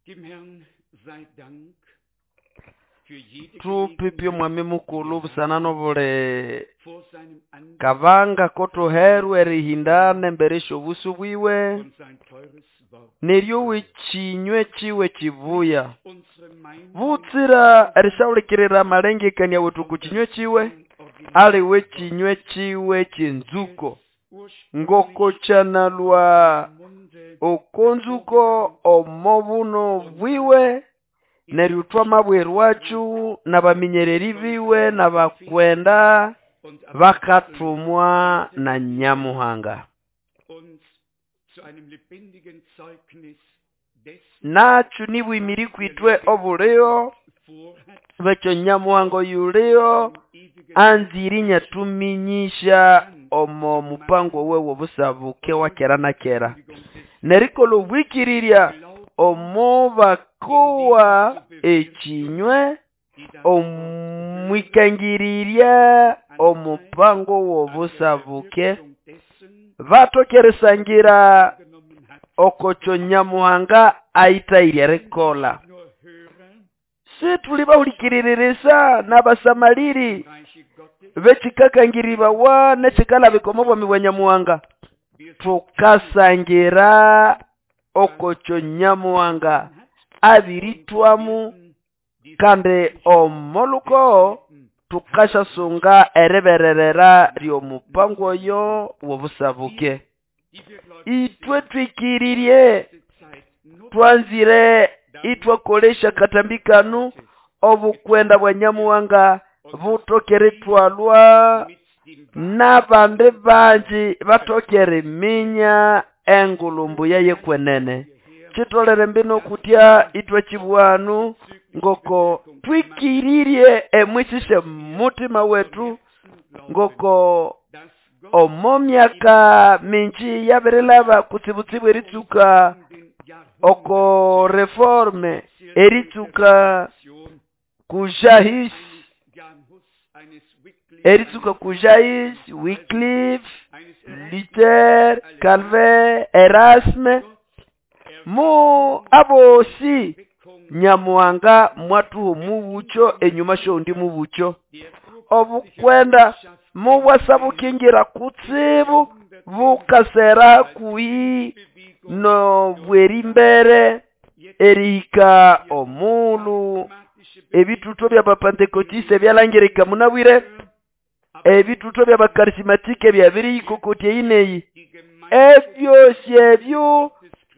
Dem Herrn sei Dank für jede Thupipye omwami mukulhu busana n'obuli vor seinem Angesicht kabanga kothuherwa erihindana embere sy'obusu bwiwe und sein teures Wort. neryowa ekinywe kiwe kibuya. Unsere Meinung Butsira erisyahulikirira amalengekania wethu oku kinywe kiwe, aliwe ekinywe kiwe ky'enzuko, ngoko kyanalwa Munde oko nzuko omo buno bwiwe, neryo twamabwirwakyo n'abaminyereri biwe n'abakwenda und bakathumwa na Nyamuhanga. uns zu einem lebendigen Zeugnis dessen Nakyo nibwimiri kwitwe obuliho vorhat, bwekyo Nyamuhanga oyuliho ewigen anzire inyathuminyisya omo mupango wewe obusabuke wa kera na kera. Kündigung des Nerikolha obwikirirya omo bakowa ekinywe die das omwikangirirya omupango w'obusabuke Wirkung dessen bathoke erisangira genommen hat, okokyo Nyamuhanga ayithayire erikolha. nur Hörer Sithuli bahulikiririsa n'abasamaliri im Reiche Gottes, bekikakangiribawa nekikalabika omo bwami bwa Nyamuhanga. wir Thukasangira okokyo Nyamuhanga abirithwamu kandi omoluko thukasyasunga eribererera ly'omupango oyo w'obusabuke. die wir gläubig Ithwe twikirirye diese Zeit nutzen, twanzire ithwakolesya akatambi kanu obukwenda bwa Nyamuhanga buthoke erithwalwa mit dem n'abandi bangi bathoke eriminya engulhu mbuya yekwenene. Kitolere mbino kutya ithwe kibwanu ngoko twikirirye emwisisye mutima wethu ngoko dass Gott omo myaka mingi yabirilaba kutsibutsibu eritsuka in den oko reforme eritsuka Jahrhunderten kujahis eines Jan Hus, eines Wycliffe, eritsuka kujahis Wycliffe, eines Luther, Calvin, Erasme mu abosi Nyamuhanga mwathuha omubucho enyuma syoundi mubucho. Obukwenda mubwasabukingira kutsibu bukasera hakuhi nobwerimbere erihika omulhu ebithuthu by'abapantekotiste byalangirika munabwire, ebithuthu by'abakarisimatike byabirihikokotya eyi neyi. Ebyosi ebyo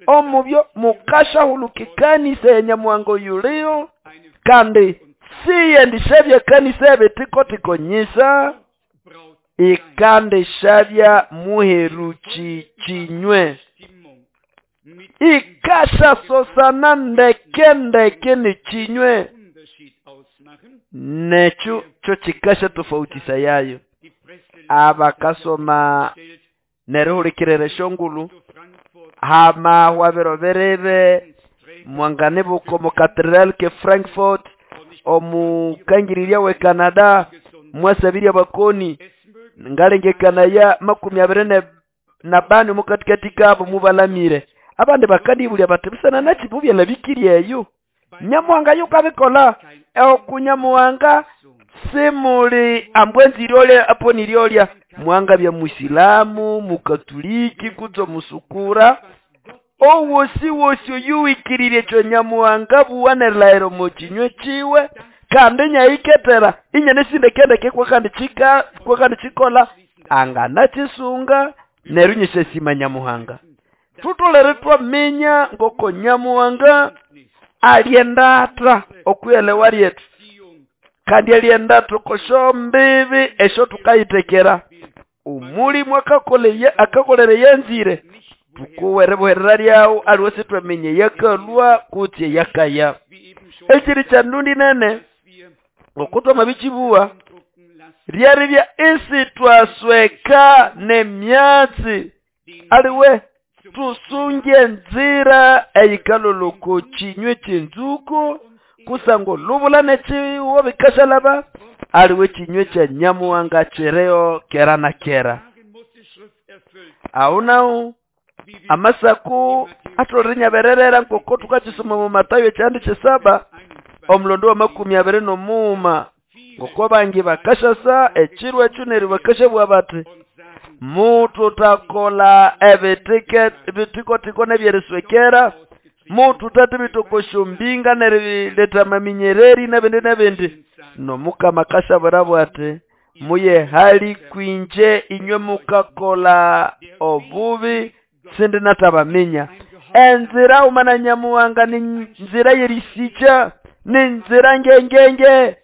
omubyo mukasyahuluka ekanisa ya Nyamuhanga oyuliyo kandi siyendishabya ekanisa ebitiko-tiko nyisa ikandishabya muheruki kinywe. Ikasyasosana ndeke ndeke n'ekinywe Unterschied ausmachen, nekyo kyo kikasyatofautisaya yayo. die Presse Abakasoma stellt nerihulikirira esyongulhu zu Frankfurt hama hwabiro birebe mwanganibuka omu Cathedral ke Frankfurt omukangirirya we Canada mwasabirya abakoni es mögen ngalengekanaya 25 omukatikati kabo mubalamire. Abandi bakandibulya bati busana naki bubyalabikirye eyo. Nyamuhanga yukabikola oku Nyamuhanga simuli ambwe nziryolya apo niryolya mwangabya musilamu mukatuliki kutse omusukura owosi wosi oyuwikirirye ekyo Nyamuhanga buwa nerilahira omo kinywe kiwe kandi inyayiketera inyanesindekendeke kwakandi kika kwakandi kikola anganakisunga neryo inyisyasima Nyamuhanga. Thutholere twaminya ngoko Nyamuhanga alyendatha okwiyelewa lyethu kandi alyendatha oko syombibi esyo thukayitekera. Omulimu akakoleye akakolera eyanzire thukowa eribuherera lyawu aliwe sithwaminya eyakalhwa kutse eyakaya. wie eben schon Ekiri kya ndundi nene wir ngoko twamabikibuwa beeindrucken lassen, lyeribya isithwasweka n'emyatsi den aliwe tusunge enzira eyikalolha oko kinywe ky'enzuko kusangwa olubula n'ekiwo bikashalaba aliwe ekinywe kya Nyamuhanga kiriho kera na kera. Darin muss die Schrift erfüllt Aho nahu Amasaku atolere nyabererera nkoko tukakisoma mu Matayo ekyandi kyesaba omulondo wa 23 ngoko bangi bakashasa ekiro ekyo neryo bakashabugha bati mututakola ebitikotiko nebyeriswekera, mututathibitokosya mbinga neriletha amaminyereri nebindi nebindi. Nomukama akashabura ati muye hali kwinje inywe mukakola obubi sindi natabaminya. Enzira umana Nyamuhanga ni nzira yerisicha, ni nzira ngengenge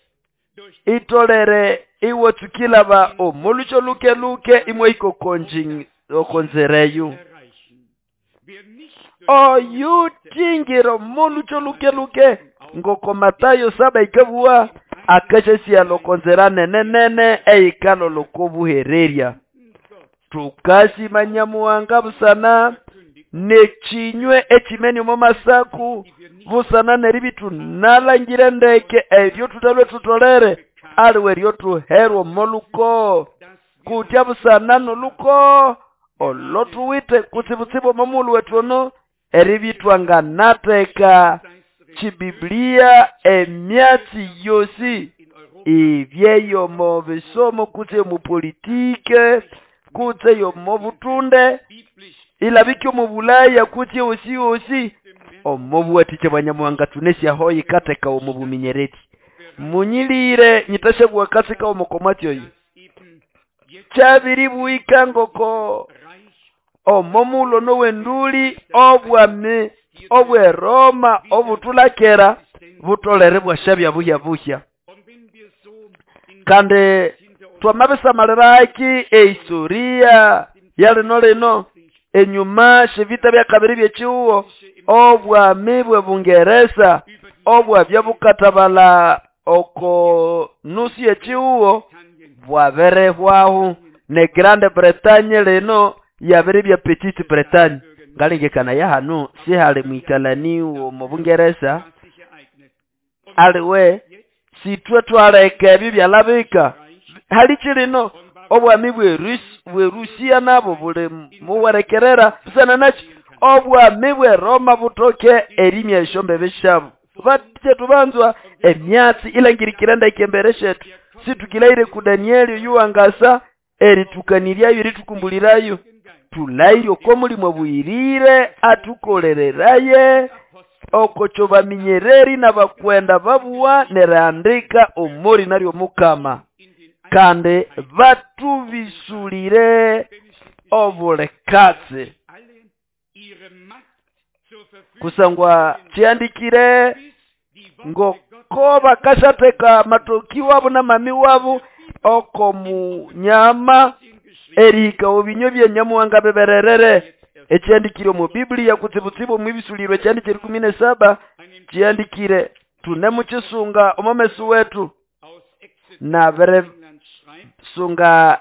itolere iwotsukilaba omulucho luke luke imwe ikokonji okonzereyu. Oyutingiro mulucho luke luke ngoko Matayo 7 ikabuwa akashasiya lokonzera nene nene eikalo lokobuhererya. Tukasima Nyamuhanga busana nechinywe echimeni omo masaku busana neribitu nalangire ndeke ebyo tutalwe tutolere aliwe eryo tuherwa moluko kutya busana noluko olotuwite kutsibutsibu omomulu wetu ono eribitwanga nateka chibiblia emyatsi yosi ibyeyo mu bisomo kutse mu politike kutse yo mu butunde ilabikyo mu Bulaya kutse osi osi omubuwatiche bwa Nyamuhanga tunesya hoyi kateka omubuminyereti munyilire nyitashabwa kasika omukomatyoyo kyabiribuika ngoko omomulo nowenduli obwami obwe Roma obutulakera butolere bwashabya buhya buhya. Kandi twamabisamaliraki ehistoria yalino lino enyuma shivita bya kabiri byechiuwo obwami bwe Bungereza obwabya bukatabala oko nusu yechiuwo bwaberehwaho ne Grande Bretagne lino yabere bya Petite Bretagne. Ngalengekana ya hano sihali mwikalani mu Bungereza aliwe sitwe twaleka ebyo byalabika hali chilino obwami bwe Rusia nabo buli muwerekerera busana nachi obwami bwe Roma butoke erimya eshombe beshabu batye tubanzwa emyatsi ilangirikirenda ikembere shetu situkilaire ku Danieli yuwangasa eritukaniryayo eritukumbulirayo tulaire oko mulimo bwirire atukolereraye okocho baminyereri n'abakwenda babuwa nerandika omori naryo mukama kandi batubisulire obulekatsi kusangwa chiandikire ngoko bakashateka matoki wabo na mami wabo oko munyama erika obinyo bya Nyamuhanga bebererere. Ekyandikire mu Biblia kutsibutsibu mwibisulirwe kyandikire 17 kyandikire tunemuchisunga omomesu wetu na bere sunga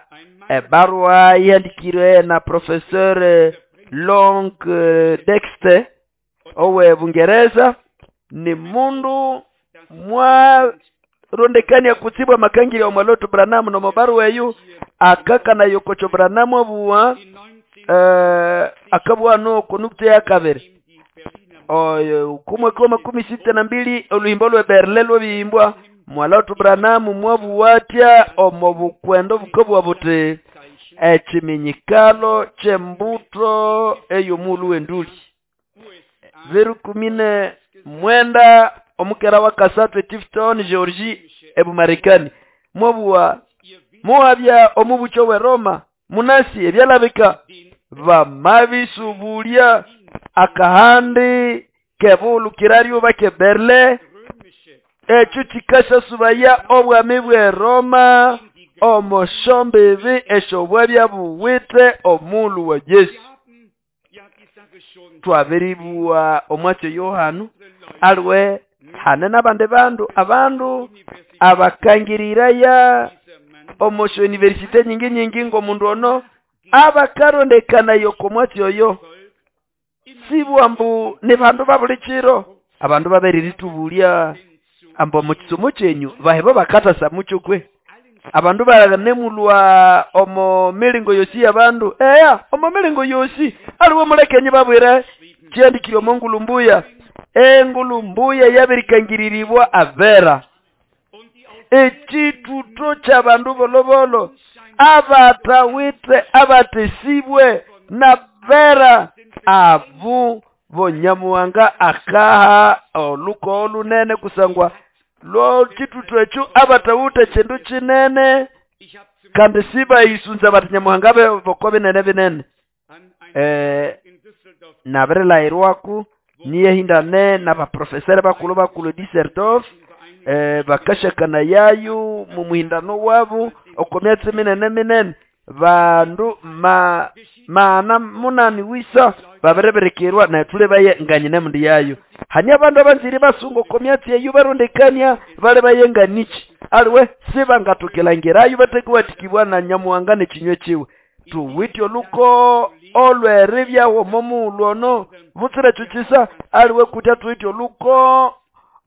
ebarua yandikire na Professor Long Dexter owe Bungereza ni mundu mwa rondekania kutsibwa makangiri ya Mwaloto Branham no mabarua eyo akakana yokocho Branham obuwa akabwa no konukte ya kabere oyo kumwe kwa 62 oluhimbo lwe Berlin lwebimbwa Mwaloto Branham mwabuwatya omobukwendo bukobwa buti ekiminyikalo kyembuto eyo mulu wenduli 019 omukera wa kasatu Tifton Georgie ebumarekani mwabuwa muhabya omubucho we Roma munasi ebyalabika bamabisubulya akahandi kebulukiraryo bake Berlin ekyo kikasha subaya obwami bwe Roma omoshombibi eshobwabya buwite omulu wa Yesu. Twabiribuwa omwatyo Yohanu aliwe hane n'abandi bandu abandu abakangiriraya omosho universite nyingi nyingi ngomundu ono abakarondekana yoko mwatyo oyo sibwambu ni bandu babuli chiro abandu baberiritubulia ambo mu kisomo kyenyu baheba bakatasa mucho kwe. Abandu banemulwa omo milingo yosi y'abandu. Eya, omo milingo yosi aliwe mulekenyi babwire kyandikire omo ngulumbuya. Engulumbuya yabirikangiriribwa abera. Ekituto ky'abandu bolobolo abatawite abatesibwe nabera abu bonyamuwanga akaha oluko olunene kusangwa lo kituto ekyo abatawite kindu kinene kandi sibayisunza bati nyamuhanga boko binene binene. Nabirilayirwaku niyehindane n'abaprofesere bakulu bakulu Düsseldorf, bakashakana yayo mu muhindano wabo oko myatsi minene minene. Bandu mana munani wisa babirebirikirwa nethule baye nganyine mundi yayo. Hani abandu abanzire basunga oko myatsi eyo barondekania bali baye nganichi aliwe sibangatukilangirayo batekiwatikibwa na nyamuhanga nekinywe kiwe. Tuwitye oluko olweribyawo omo ono butsira kisa aliwe kutya tuwitye oluko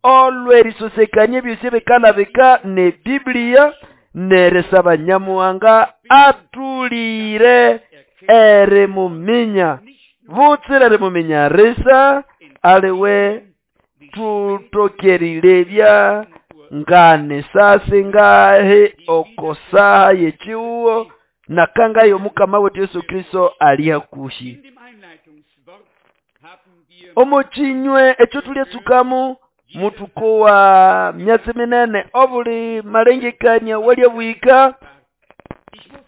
olwerisosekania ebyosi bikalabika ne Biblia neresaba nyamuhanga atulire erimuminya butsira erimuminya risa aliwe tutokerilebya ngane sasi ngahe okosaha yechiuwo nakangayo mukama wetu Yesu Kristo ali hakuhi. Omo chinywe ekyo tulyetsukamu mutuko wa myatsi minene obuli malengekania walya bwika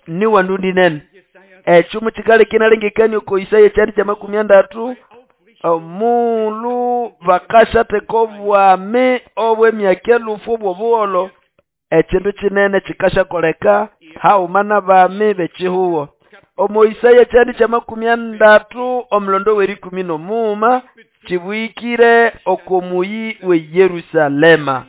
ni wandundi nene. Ekyo mukikale kinalengekania oko Isaya kyandi kya 30 omulu bakashateka obwami obw'emyaka elufu obw'obugholo. Ekindu kinene kikashakoleka hauma n'abami b'ekihuwo. Omo Isaya kyandi kya 30 omulondo w'erikumi n'omuuma kibwikire okomuyi we Yerusalema.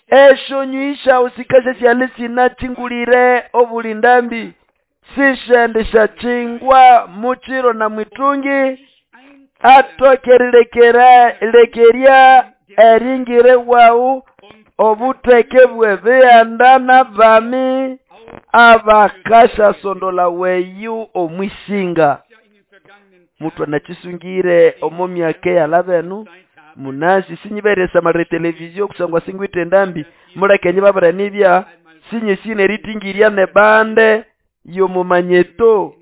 Eshonyi shawo sikasha syali sinachingulire obulindambi sishendesha chingwa muchiro na mwitungi atokerilekera lekeria eringire wawu obuteke bw'ebihanda n'abami abakasha sondola weyu omwisinga. Muthu anachisungire omo myaka eyalabenu munasi sinyiberesa mare televizio kusangwa singwite endambi mulekenyi babiranibya sinyesine eritingirya nebande yomumanyeto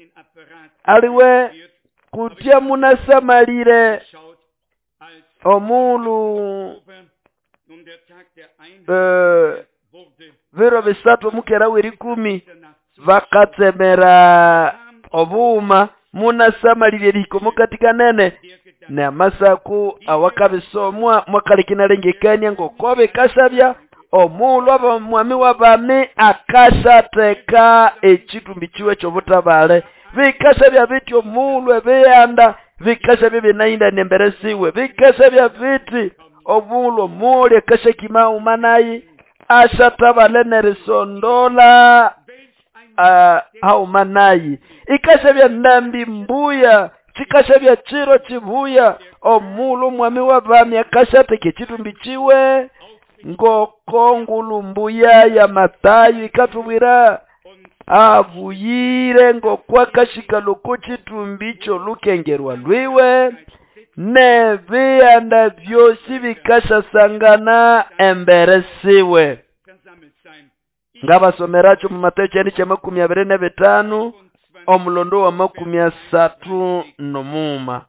aliwe kutya munasamalire omulu biro bisatu mukera w'erikumi bakatsemera obuuma munasamalire erihikomo katikanene n'amasaku awakabisomwa mwakalikinalengekania ngoko bikasabya omulhu abamwami w'abami akashateka ekitumbi kiwe ky'obutabale. Bikasabya biti omulhu ebihanda bikasabya binahindana embere siwe. Bikasabya biti omulhu omuli akashakima umanayi ashatabale nerisondola haumanayi. Ikasabya ndambi mbuya kikasabya chiro chibuya omulhu omwami w'abami akashateka ekitumbi kiwe ngoko ngulumbuya ya Matayo ikatubwira abuyire ngokwakashika loko chitumbi ky'olukengerwa lwiwe n'ebihanda byosi bikashasangana embere siwe. Ngabasomeracho mu Matayo kyandi kya 25 omulondo wa 39.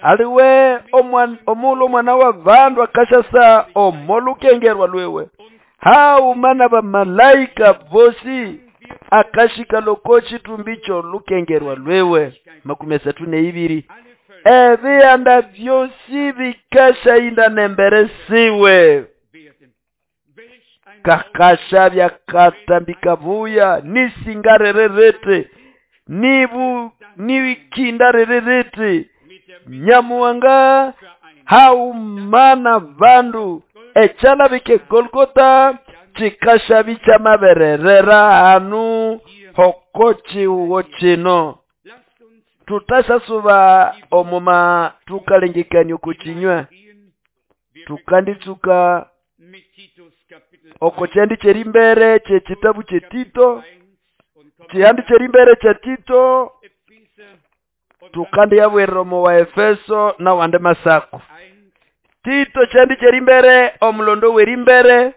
Aliwe omulhu omwana wa bandu akashasa omolukengerwa lwiwe hauma n'abamalaika bosi akashika loko chitumbi ky'olukengerwa lwiwe. 32 ebihanda byosi bikashahindana embere siwe. Kakasha byakatambika buya nisingarererete nibu niwikindarererete nyamuwanga haumana bandu echala bike Golgota chikasha bichamabererera hanu hoko chiwo chino. Tutasasuba omuma tukalengekania okuchinywa tukanditsuka Oko kyandi kyerimbere kyekitabu kyetito, kyihandi kyerimbere kya Tito, tukandi yabwirira omo wa Efeso nawandi masako. Tito kyandi kyerimbere omulondo werimbere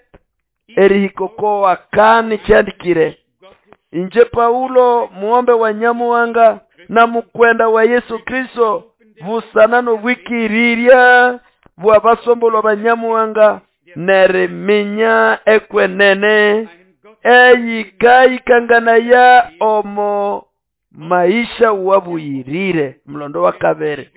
erihikoko wakani kyandikire inje Paulo muombe wa Nyamuhanga na mukwenda wa Yesu Kristo busana nobwikirirya bwa basombolwa ba Nyamuhanga neriminya ekwenene eyikaikanganaya omo maisha wabuyirire. Mulondo wa kabere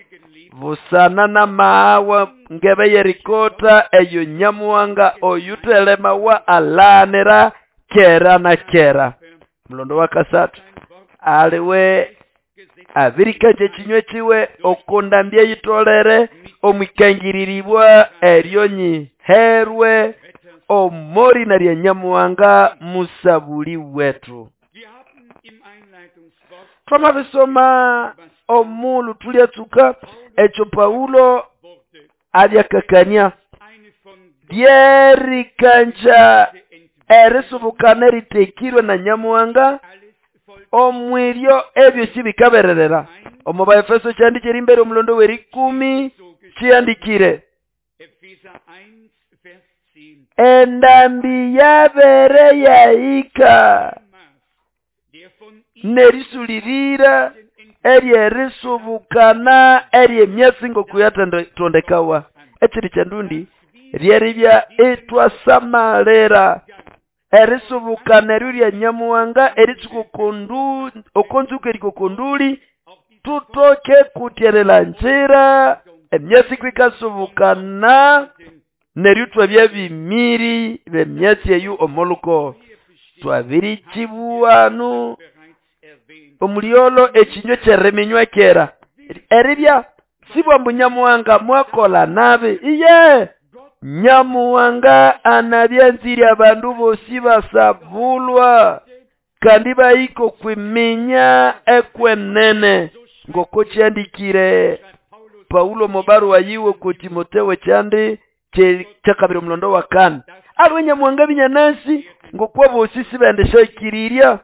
busana na maawa ngebe yerikota eyo Nyamuhanga oyutelemawa alanira kera na kera. Mulondo wa kasatu aliwe abirikanje ekinywe kiwe okundambya eyitolere omwikangiriribwa eryo nyiherwe omorina lya Nyamuhanga musabuli wetu. Twamabisoma omulu tulyatsuka ekyo Paulo abyakakania lyerikanja erisubukana eritekirwe na Nyamuhanga omwiryo ebyo sibikabererera. Omo ba Efeso kyandi kyerimbere omulondo werikumi kyandikire endambi yabere yahika nerisulirira eryerisubukana eryemyatsi ngokuyatondekawa. Ekiri kyandundi ryeribya etwasamalira erisubukana eryo lya Nyamuhanga eritsuka okonzuka erikokonduli tutoke kutyerela njira emyatsi kwikasubukana neryo twabya bimiri bemyatsi eyu omoluko. Twabirikibuwanu omulyolo ekinywe kyeriminywa kera eribya sibwa mbu Nyamuhanga mwakola nabi iye Nyamuhanga anabyanzirya abandu bosi basabulwa kandi bayiko kwiminya ekwenene ngoko kyandikire Paulo mubaruwa yiwe ku Timotheo kyandi kyakabiri omulondo wa kane. Aliwe Nyamuhanga binyanasi ngokwa bosi sibendeshakirirya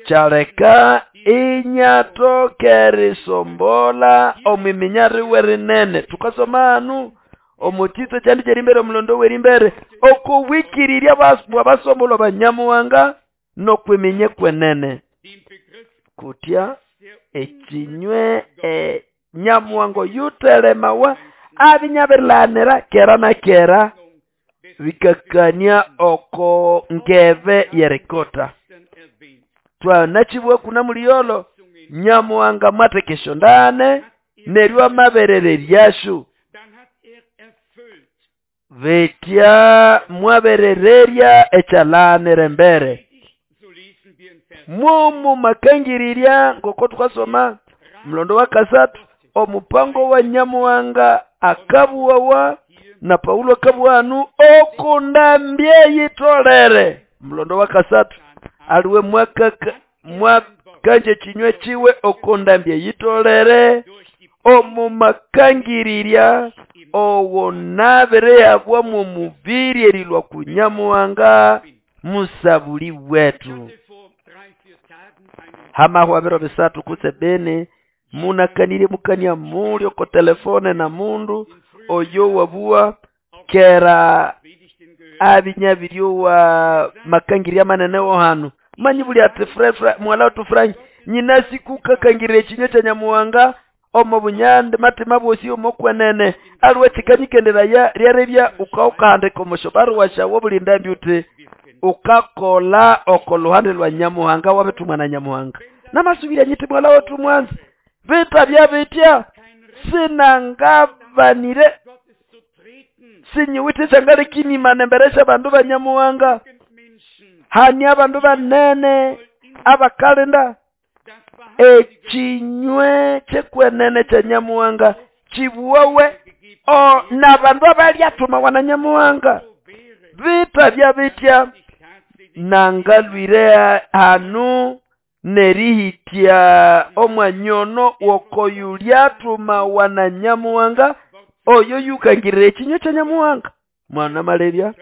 kyaleka inyatoke risombola omwiminya riwe rinene. Tukasoma anu omutito kyandi kyerimbere omulondo werimbere okuwikirirya bwa basombolwa ba Nyamuhanga nokwiminya kwenene kutya ekinywe Nyamuhanga yutelemawa abinyabilanira kera na kera bikakania oko ngebe yerikota. Twanachibwa kuna muliyolo Nyamuhanga mwatekesho ndane neryo amaberere lyashu betya mwaberererya ekyalanire mbere mumu makangirirya ngoko tukasoma mulondo wa kasatu omupango wa Nyamuhanga akabuwawa na Paulo akabuwanu okundambye yitolere. Mulondo wa kasatu aliwe mwakanje kinywe kiwe okundambye yitolere omu makangirirya owo nabere yabwa mu mubiri erilwa ku Nyamuhanga musabuli wetu. Hamahwa biro bisatu kutse bene munakanire mukania mulyo ko telefone na mundu oyo wabua kera abinyabiryo wa makangiria manene wo hanu manyi buli ati mwala tufranyi nyina sikuka kangire ekinyo kya Nyamuhanga omo bunyande matima bosi omokwenene aliwe kikanyikendera ya lyarebya ukaukahandika omosho baruwa shawo bulindambi uti ukakola oko luhande lwa Nyamuhanga wabetumwa na Nyamuhanga namasubira nyiti mwala wetu mwanzi vita bya bitya sinangabanire sinyiwite sangale kinimane mberesha bandu ba Nyamuhanga hani abandu banene abakalenda ekinywe kyekwenene kya Nyamuhanga kibuwawe o nabandu abalyatuma wana Nyamuhanga vita bya bitya nangalwire hanu nerihitya omwanyono wokoyulyatuma wana Nyamuhanga oyo yukangirira ekinywe kya Nyamuhanga. Mwana malebya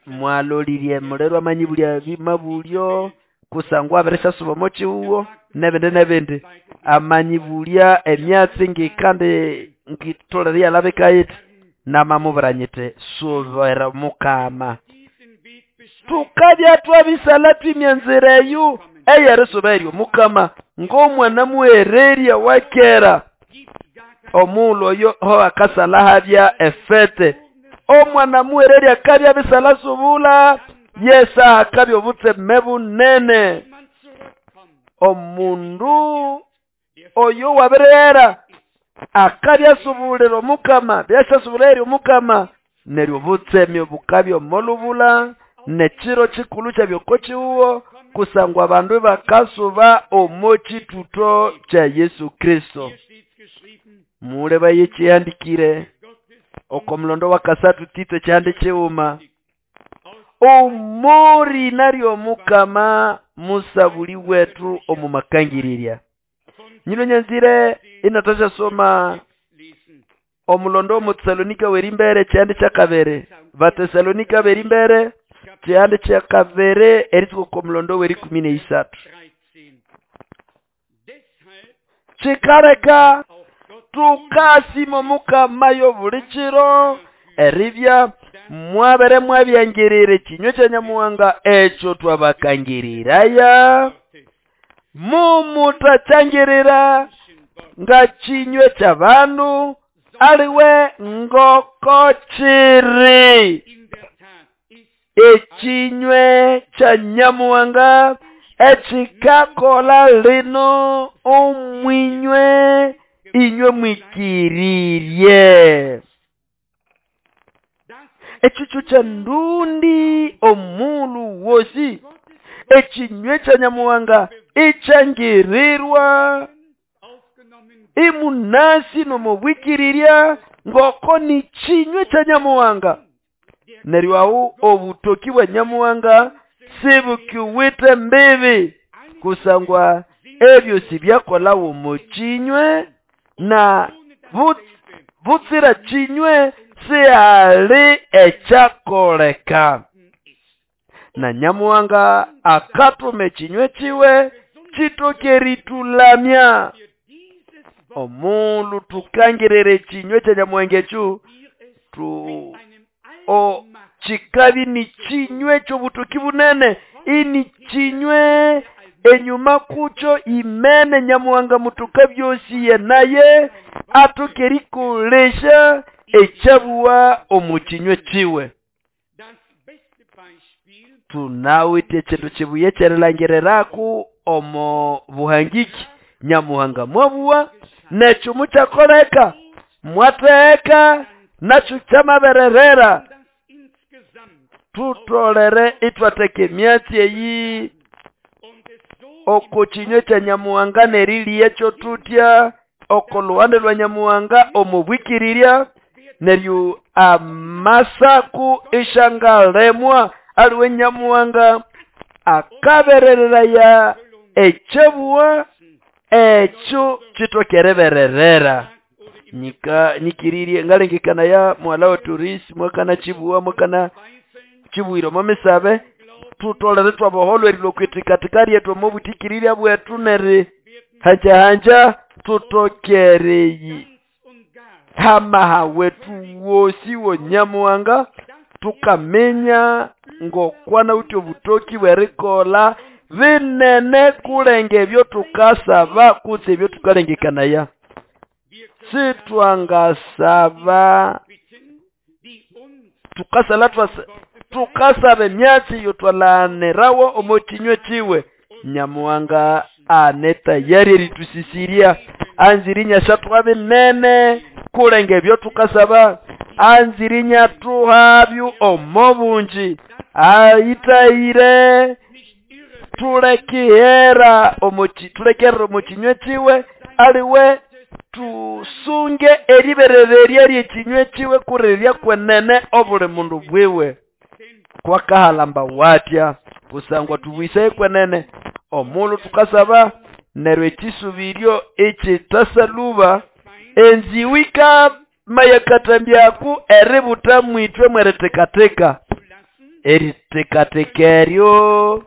mwalolirye mulero amanyibulya bimabulyo kusangwa abirisasuba omo kihugo nebindi nebindi amanyibulya emyatsi ngikandi ngitolere yalabika yithi namamubwira nyiti subira mukama. Tukabya twabisala twimya enzira eyo eyerisuba eryo mukama ng'omwana muhererya wa kera omughulhu oyo ho akasala habya efete omwana muhererya akabya bisala subula yesa akabya obutseme bunene. Omundu oyo wabirera akabya subulira omukama byasasubula eryo omukama neryo obutseme bukabya omolubula nekiro kikulu kyabyoko kihugo kusangwa abandu bakasuba omo kituto kya Yesu Kristo. Muleba yekihandikire oko mulondo wa kasatu Tito kyihandi kighuma omori naryo omukama musabuli wetu omumakangirirya. Nyino nyanzire inatasha soma omulondo omu Tesalonika werimbere kyihandi kyakabere Batesalonika berimbere kyihandi kyakabere eritsuka oko mulondo werikumi neisathu. Kikaleka tukasima omukama yobuli kiro eribya mwabere mwabyangirira ekinywa kya Nyamuhanga ekyo twabakangiriraya mumutakyangirira nga kinywa ky'abandu aliwe ngoko kiri ekinywe kya Nyamuhanga ekikakola lino omwinywe inywe mwikirirye. Ekikyo kya ndundi omulu wosi ekinywe kya Nyamuhanga ikyangirirwa imunasi nomubwikirirya ngoko ni kinywe kya Nyamuhanga. Neryo aho obutoki bwa Nyamuhanga sibukiwite mbibi kusangwa ebyo sibyakolawo mu kinywe na butsira kinywe sihali ekyakoleka. Na Nyamuhanga akatuma ekinywe kiwe kitoke eritulamya. Omundu tukangirira ekinywe kya Nyamuhanga ekyo o kikabi ni kinywe ky'obutoki bunene ini kinywe enyuma kukyo imene Nyamuhanga mutuka byosiye naye atoke erikolesha ekyabuwa omu kinywe kiwe. Tunawithe ekindu kibuye kyerilangiriraku omo buhangiki Nyamuhanga mwabuwa nekyo mukyakoleka mwatheka nakyo kyamabererera. Tutolere ithwatheka emyatsi eyi oko kinywe kya Nyamuhanga neriliya tutya oko luhande lwa Nyamuhanga omubwikirirya neryo amasaku ishangalemwa aliwe Nyamuhanga akaberereraya ekyabuwa ekyo kitokerebererera. Nyika nikirirye ngalengekana ya mwala wa turisi mwakana kibuwa mwakana kibuwire momisabe tutolere twaboholwa erilwa kwitikatika lyethu omubutikiriria bwethu neri hanja hanja tutokereyi hamaha wetu wosi wo Nyamuhanga tukamenya ngokwana uti obutoki bwerikola binene kulenga ebyo tukasaba kutse ebyo tukalengekanaya. Sitwangasaba tukasala tukasaba emyatsi yotwalanirawo omo kinywe kiwe. Nyamuhanga ane tayari eritusisiria anzirinya syathuha binene kulenga ebyo tukasaba anzirinya thuhabyo omo bungi ayitayire tulekihera tulekerera omo kinywe kiwe aliwe tusunge eriberererya lyekinywe kiwe kurirya kwenene obuli mundu bwiwe. Kwakahalamba watya kusangwa tubwisaye kwenene omulhu tukasaba neryo ekisubiryo ekitasaluba enziwika Mayakatambyaku eributa mwitwe mweritekateka. Eritekateka eryo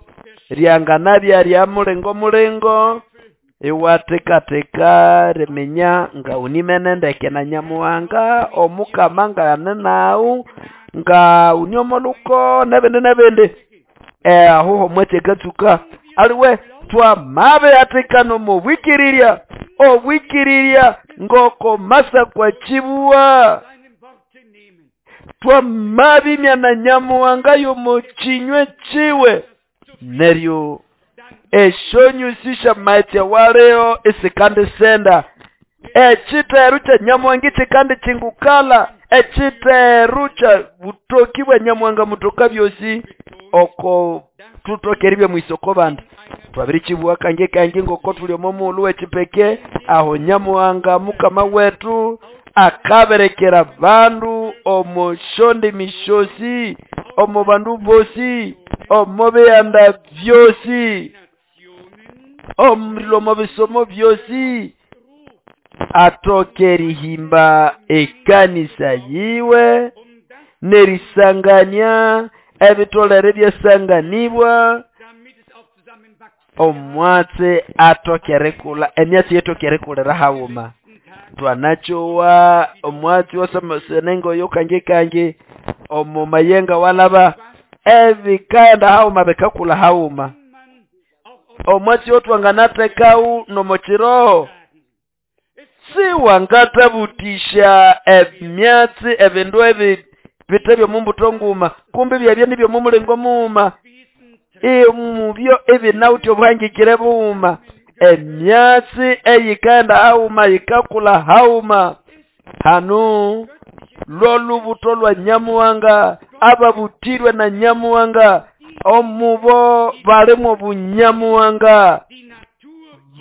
ryanganabya rya mulingo mulingo, iwatekateka riminya nga unimene ndeke na Nyamuhanga, Omukama ngane nawu, nga uni omoluko nebindi nebindi. Aho homwatsi akatsuka. Aliwe twamabihatikana omo bwikirirya, obwikirirya ngoko masakwa chibuwa. Twamabimya na Nyamuhanga yomo chinywe chiwe. Neryo eshonyusi shamaetse waleo isikandi senda. Echiteru cha Nyamuhanga chikandi chingukala. Echiteru cha butoki bwa Nyamuhanga mutoka byosi oko tutokeribye mwisoko bandi. Twabiri chibuwa kange kange ngoko tuli omo mulu wechipeke. Aho Nyamuhanga mukama wetu akaberekera bandu omo shonde mishosi, omo bandu bosi, omo biyanda byosi, omo bisomo byosi, atokerihimba ekanisa yiwe nerisanganya ebitolere byasanganibwa. Omwatsi atokerekula emyatsi yetokerekulera hawuma. Twanachowa omwatsi wasamasенengo yo kange kange omo mayenga walaba ebikaenda hauma bekakula hauma. Omwatsi otwanganatekau nomochiroho siwangatabutisha emyatsi ebindu ebi bitebyo mumbuto nguma, kumbe byabye nibyo mumulingo muuma. Emubyo ebinauti obuhangikire buuma. Emyatsi eyikaenda hauma yikakula hauma. Hanu lwolubuto lwa Nyamuhanga, ababutirwe na Nyamuhanga, omubo balimo bunyamuhanga,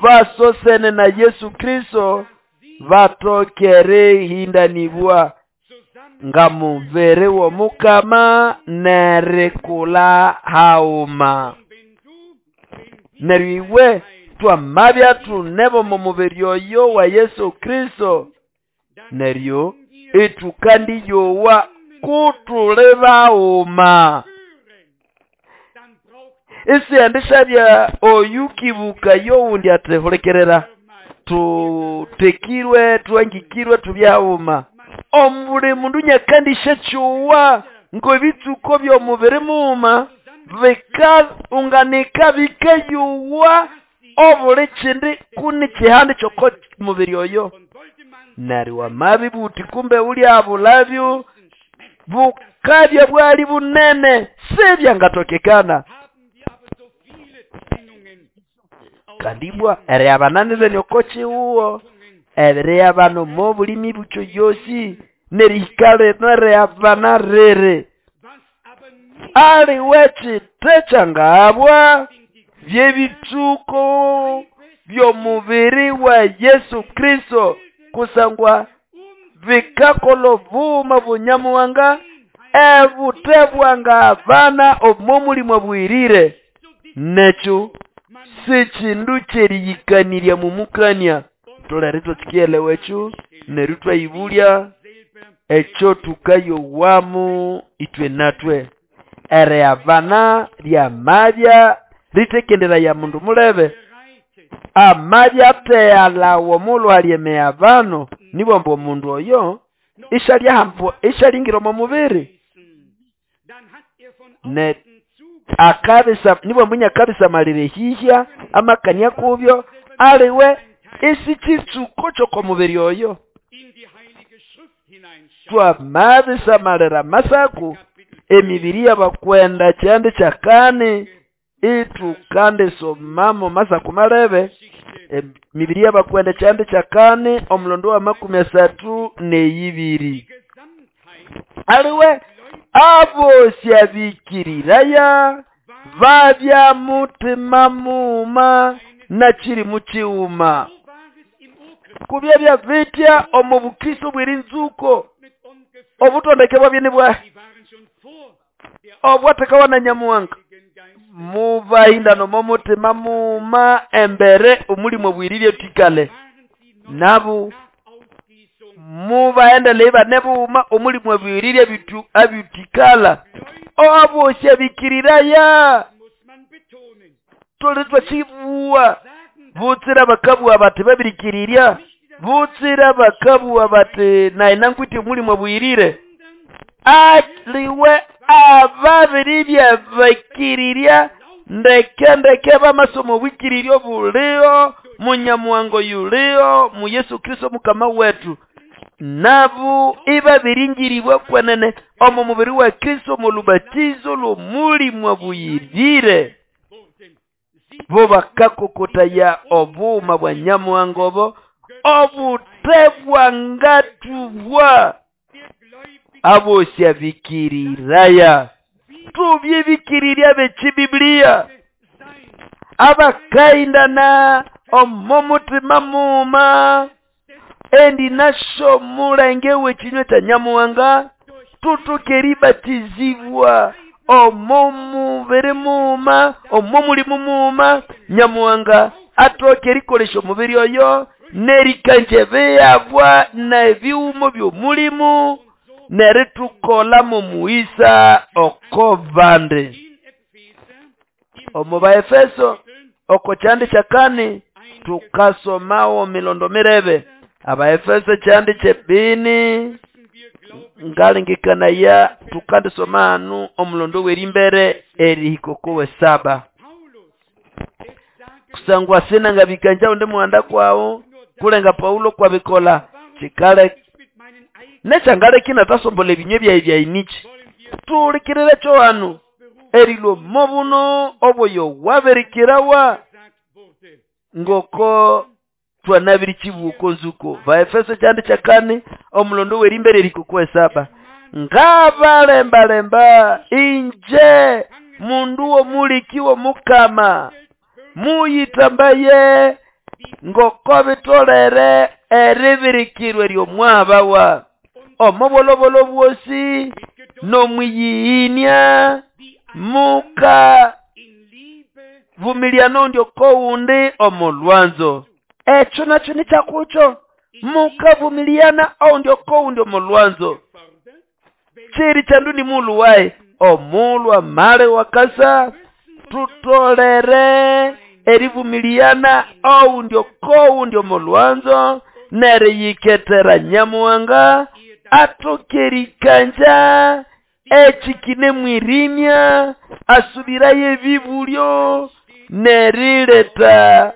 basosene na Yesu Kristo, batokere hindanibwa nga mubere w'Omukama nerekula hauma. Neryo iwe twamabya tunebo mu mubiri oyo wa Yesu Kristo, neryo itukandi yowa kutule bauma. Isiandishabya oyukibuka yowundi atehulekerera, tutekirwe twangikirwe tubyauma. Omuli mundu nyakandisha chuwa ngo ebitsuko by'omubiri muuma bikaunganika bikayuwa obuli kindi kuni kihandi kyoko mubiri oyo. Neryo wamabibuti kumbe ulya bulabyo bukabya bwali bunene sibyangatokekana. Kandibwa eriabananire nyoko chiuwo eriabano mo bulimi bucho yosi nerihikale nereabanarere ali wechi techangabwa byebitsuko by'omubiri wa Yesu Kristo, kusangwa bikakolo buma bunyamuhanga ebutebwanga abana omomulimo bwirire. Necho sechindu kyeriyikanirya mumukania. Tolere twatsikielewa ekyo neryo twayibulya ekyo tukayowamu itwe natwe. Eriabana lyamabya litekendera ya mundu mulebe amabya ateyalawo mulwalye meabano nibomba omundu oyo ishalingira omu mubiri ne akabisa nibomba akabisa malire hihya amakania kubyo aliwe isichitsuko kyoko mubiri oyo. Twamabisa malira masaku emibiri y'abakwenda kyandi kyakane itukande somamo masaku malebe emibiri y'abakwenda kyandi kyakane omulondo wa 32. Aliwe abo syabikiriraya babya mutima muuma na kiri muchiuma. Kubya bya vitya omu bukristo bwiri nzuko obutondeke bwabye nibwa obwatekawa na Nyamuhanga mubahindano momutima muuma embere omulimo bwirire tikale nabo Mubaendele ibane bughuma omulimu abwirire abyutikala abosi abikiriraya tuli twakibuwa butsira bakabuwa bati babirikirirya butsira bakabuwa bati naye nangwite omulimu abwirire aliwe ababiribya bakirirya ndeke ndeke bamasomo bwikiriryo bulio munyamuhango yulio mu Yesu Kristo mukama wetu nabo ibabiringiribwa kwenene omo mubiri wa Kristo mu lubatizo lw'omulimu abuyirire bo bakakokotaya obuuma bwa nyamuhango obo obutebwangatubwa abosi abikiriraya tubyebikirirya bekibibiliya abakaindana omo mutima muma endi nasho mulenge w'ekinywa kya nyamuhanga tutukeribatizibwa omo mubiri muma omo mulimu muma nyamuhanga atokerikolesha omubiri oyo nerikanje biyabwa n'ebiwumo by'omulimu neritukola mu muisa oko bandi. Omu Baefeso oko kyandi kyakani tukasomawo milondo mirebe. Abaefeso kyandi kyebini ngalengekanaya tukandisoma hanu omulondo w'erimbere erihikoko wesaba. Kusangwa sina ngabikanja undi muhanda kwawo kulenga Paulo kwabikola chikale nechangale kina tasombola ebinywe byayi byainichi tulikirire kyo hanu erilo mobuno oboyo wabirikirawa ngoko twanabiri chibuko nzuko. Baefeso kyandi kyakani omulondo w'erimbere erihikoko wesaba ngabalembalemba inje mundu womulikiwo mukama muyitambaye ngoko bitolere eribirikirwe ly'omwabawa omobolobolo bwosi nomwiyiinya muka vumilia nondyo koundi omolwanzo. Ekyo nakyo ni kyakucho mukavumiliana ondyo koundi omolwanzo chiri chandu ni mulu wae omulwa male wakasa tutolere erivumiliana oundyo koundi omolwanzo neriyiketera nyamuhanga atokerikanja echikine mwirimya asubiraye ebibulyo nerileta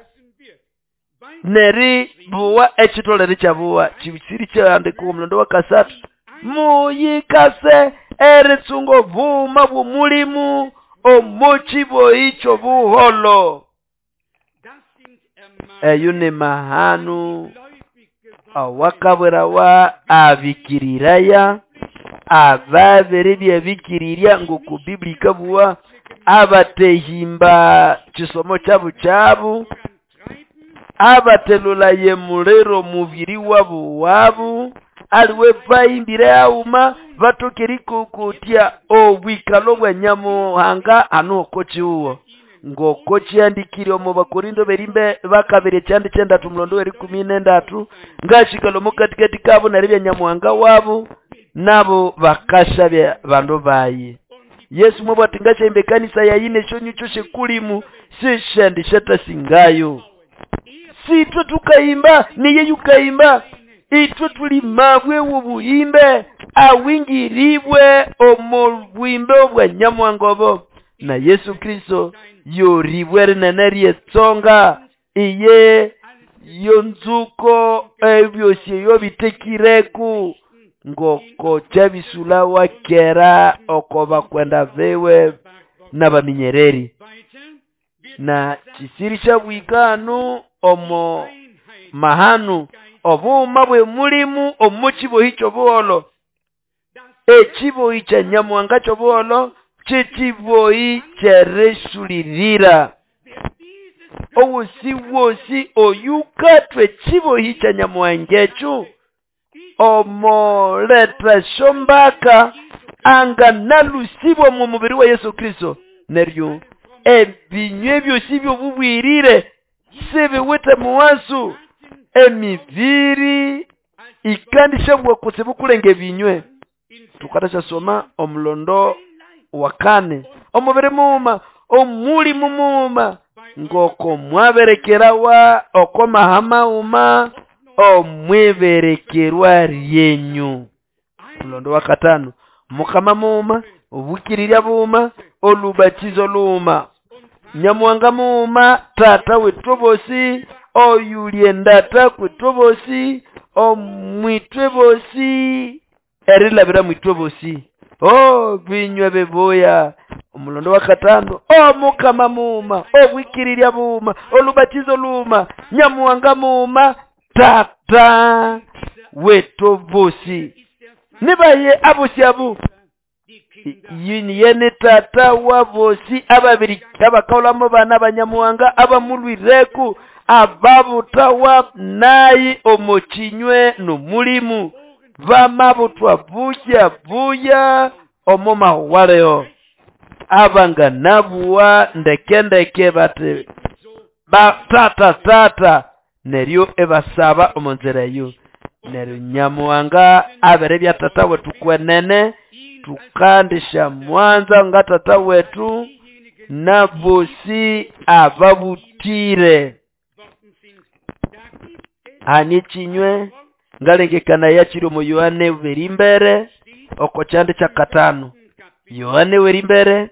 neribuwa ekitolere kyabuwa kibisiri kyandika omulondo wa kasatu muyikase eritsunga obuuma bw'omulimu omukibo icho buholo. Eyo ni mahanu awakabwerawa abikiriraya ababere byabikirirya ngoko Biblia ikabuwa abatehimba kisomo kyabu kyabu abatelulaye muliro mubiri wabu wabu aliwe bayimbire auma batokerikokotya obwikalo bwa nyamuhanga anu okochiuwo ngoko kyandikire omu Bakorindo berimbe bakabiri kyandi kyendatu mulondo weri 13 ngashikalo mukatikati kabo naribya nyamuhanga wabo nabo bakashabya bandu bayi. Yesu mwabwati ngashembe kanisa yayine shonyu kyoshe kulimu sishendi shetasingayo. Sitwe tukayimba niye yukayimba itwe tuli mabwe w'obuhimbe awingiribwe omu bwimbe obwa nyamuhanga na Yesu Kristo yoribwe rinene ryetsonga iye yonzuko ebyosi eyo bitekireku ngoko kyabisula wakera oko bakwenda bewe n'abaminyereri. Na kisiri kyabwikanu omo mahanu obuuma bwe mulimu omukibohi ky'obuholo ekibohi kya nyamuhanga ky'obuholo kyekibohi kyeresulirira owosi wosi oyukatwe ekibohi kya nyamuhanga ekyo omoletwa shombaka anga nalusibwa mu mubiri wa Yesu Kristo neryo ebinywe byosi by'obubwirire sibiwite muwasu emibiri Ikandishabwa kutsibu kulenga ebinywe. Tukatasha omulondo wa kane. Omubiri muuma, omulimu muuma, ngoko mwaberekerawa oko mahama uma omwiberekerwa ryenyu. Mulondo wa katano, mukama muuma, obukirirya buuma, olubatizo luuma, Nyamuhanga muuma, tata wethu bosi, oyulyendata kwethu bosi, omwitwe bosi, erilabira mwitwe bosi. Oh, binywe bibuya. Omulondo wa katano, omukama muuma, obwikirirya buuma, olubatizo luuma, Nyamuhanga muuma, tata wethu bosi. Nibaye abosi abo yeni tata wa bosi ababiri abakaulamo bana banyamuhanga abamulwireku ababutawa nayi omochinywe nomulimu bamabutwa buya buya omoma waleo abanga nabuwa ndeke ndeke bate ba tata tata neryo ebasaba omonzera eyo. Neryo Nyamuhanga abere bya tata wetu kwenene tukandisha mwanza nga tata wetu na bosi ababutire. Ani chinywe ngalengekana yakiri omu Yohane werimbere oko kyande kya katano. Yohane werimbere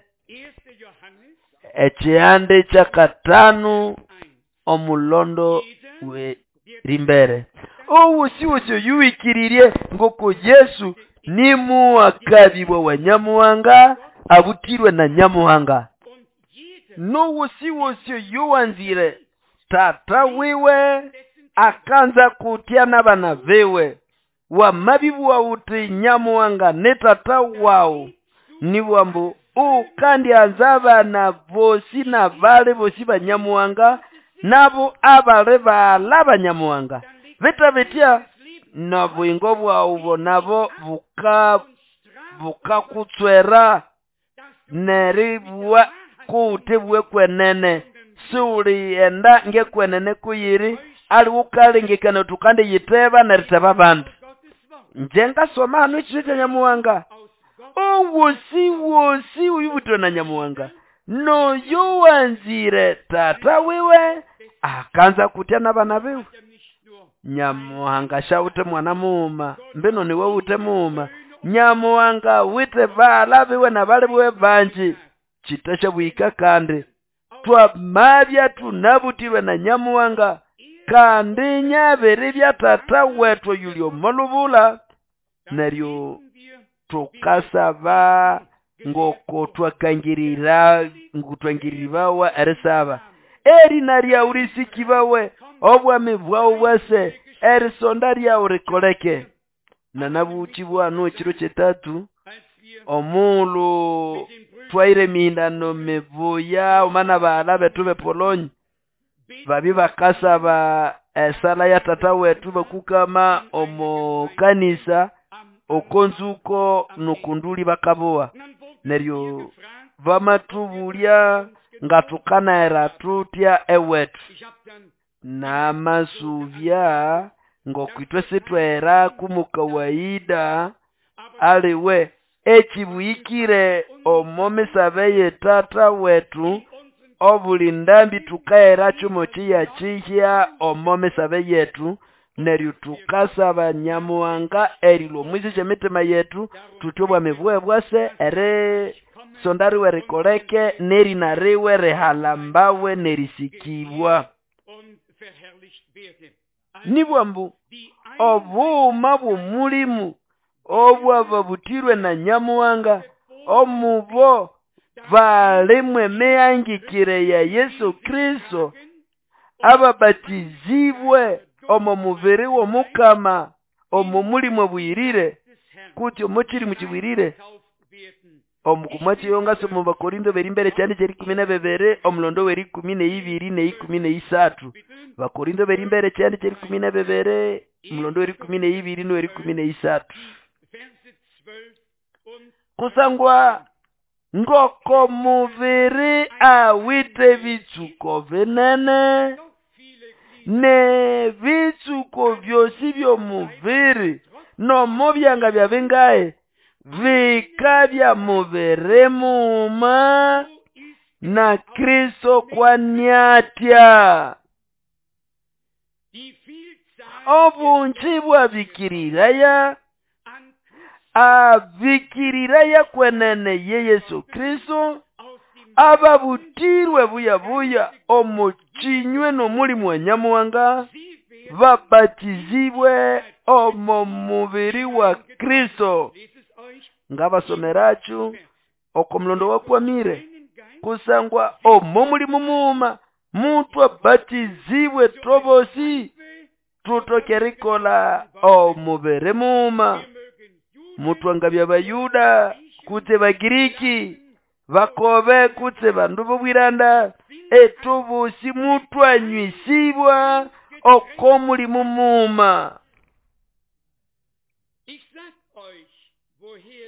ekyande kya katano omulondo werimbere. Owosi wosi yuikiririe ngoko Yesu ni muwakabibwa wa Nyamuhanga abutirwe na Nyamuhanga. Nowosi wosi yuwanzire tata wiwe akanza kutia n'abana bewe wamabibwa uti Nyamuhanga ne tata wawu niwambu ukandi anza abana bosi na bale bosi ba Nyamuhanga nabo abale bala ba Nyamuhanga bita bitya na bwingo bwawu nabo bukakutswera neribwa kuutibwe kwenene siulienda ngekwenene kuyiri ali ukalengekana tukande yiteba neriteba bandu. Nje ngasoma hano ekiro kya Nyamuhanga owosi wosi uyubutwe na Nyamuhanga noyo wanzire tata wiwe akanza kutya n'abana biwe. Nyamuhanga shawute mwana muuma mbino niwe wute muuma. Nyamuhanga wite bala biwe na bali biwe banji chitasha bwika kandi twamabya tunabutirwe na Nyamuhanga kandi nyabere bya tata wetu yulyo molubula. Neryo tukasaba ngoko twakangirira ngutwangiribawa erisaba erina ryawu risikibawe obwami bwawu bwase erisonda ryawu rikoleke. Nanabuchi bwanu ekiro kyetatu omulu twaire emihindano mibuya omana baala betu bepolonyi babi bakasaba esala ya tata wetu bakukama omu kanisa okonzuko nokunduli bakaboa. Neryo bamatubulya ngatukanaera tutya ewetu namasubya ngokwitwe sitwera kumukawaida aliwe ekibuyikire omo misabe ye tata wetu obuli ndambi tukaera chumo chiya chihya omo misabe yetu. Neryo tukasaba Nyamuhanga erilwa omwisi emitima yetu tutyo obwami bwe bwase eri sondariwe rikoleke nerina riwe rihalambawe nerisikibwa. Nibwambu obuuma bw'omulimu obwababutirwe na Nyamuhanga omubo balimwe emihangikire ya Yesu Kristo ababatizibwe omo mubiri w'omukama omo mulimu obwirire kuti omukiri mukibwirire omukumwa kiyonga mu Bakorinto berimbere kyandi kyeri 12 omulondo weri 12 ne 13. Bakorinto berimbere kyandi kyeri 12 omulondo weri 12 no weri 13. Kusangwa ngoko mubiri awite bitsuko binene N'ebitsuko byosi by'omubiri nomo byanga bya bingahi bikabya mubiri muma na Kristo kwaniatya. Obungi bwabikiriraya abikiriraya kwenene ye Yesu Kristo ababutirwe buya-buya omo kinywe n'omulimu wa Nyamuhanga babatizibwe omo mubiri wa Kristo. Ngabasomeracho oko mulondo wakwamire kusangwa omo mulimu muuma mutwabatizibwe tobosi tutoke erikola omubiri muuma. Mutwangabya Bayuda kutse Bagiriki bakobe kutse bandu b'obwiranda etobosi mutwanywisibwa oko mulimu muuma.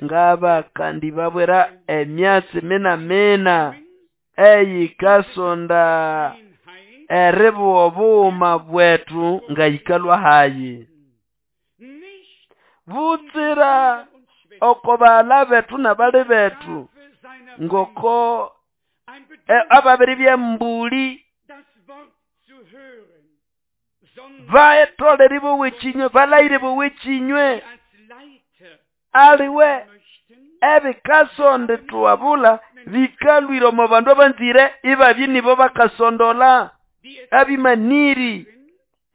Ngaba kandi babwera emyatsi mina-mina eyikasonda eribuwa obughuma bwetu ngayikalwa hayi. Butsira oko baghala bethu n'abali bethu ngoko ababiri by'embuli baetolere bowa ekinywe balayire bowa ekinywe aliwe ebikasonda thuwabula bikalwire omo bandu abanzire ibabye nibo bakasondola abimaniri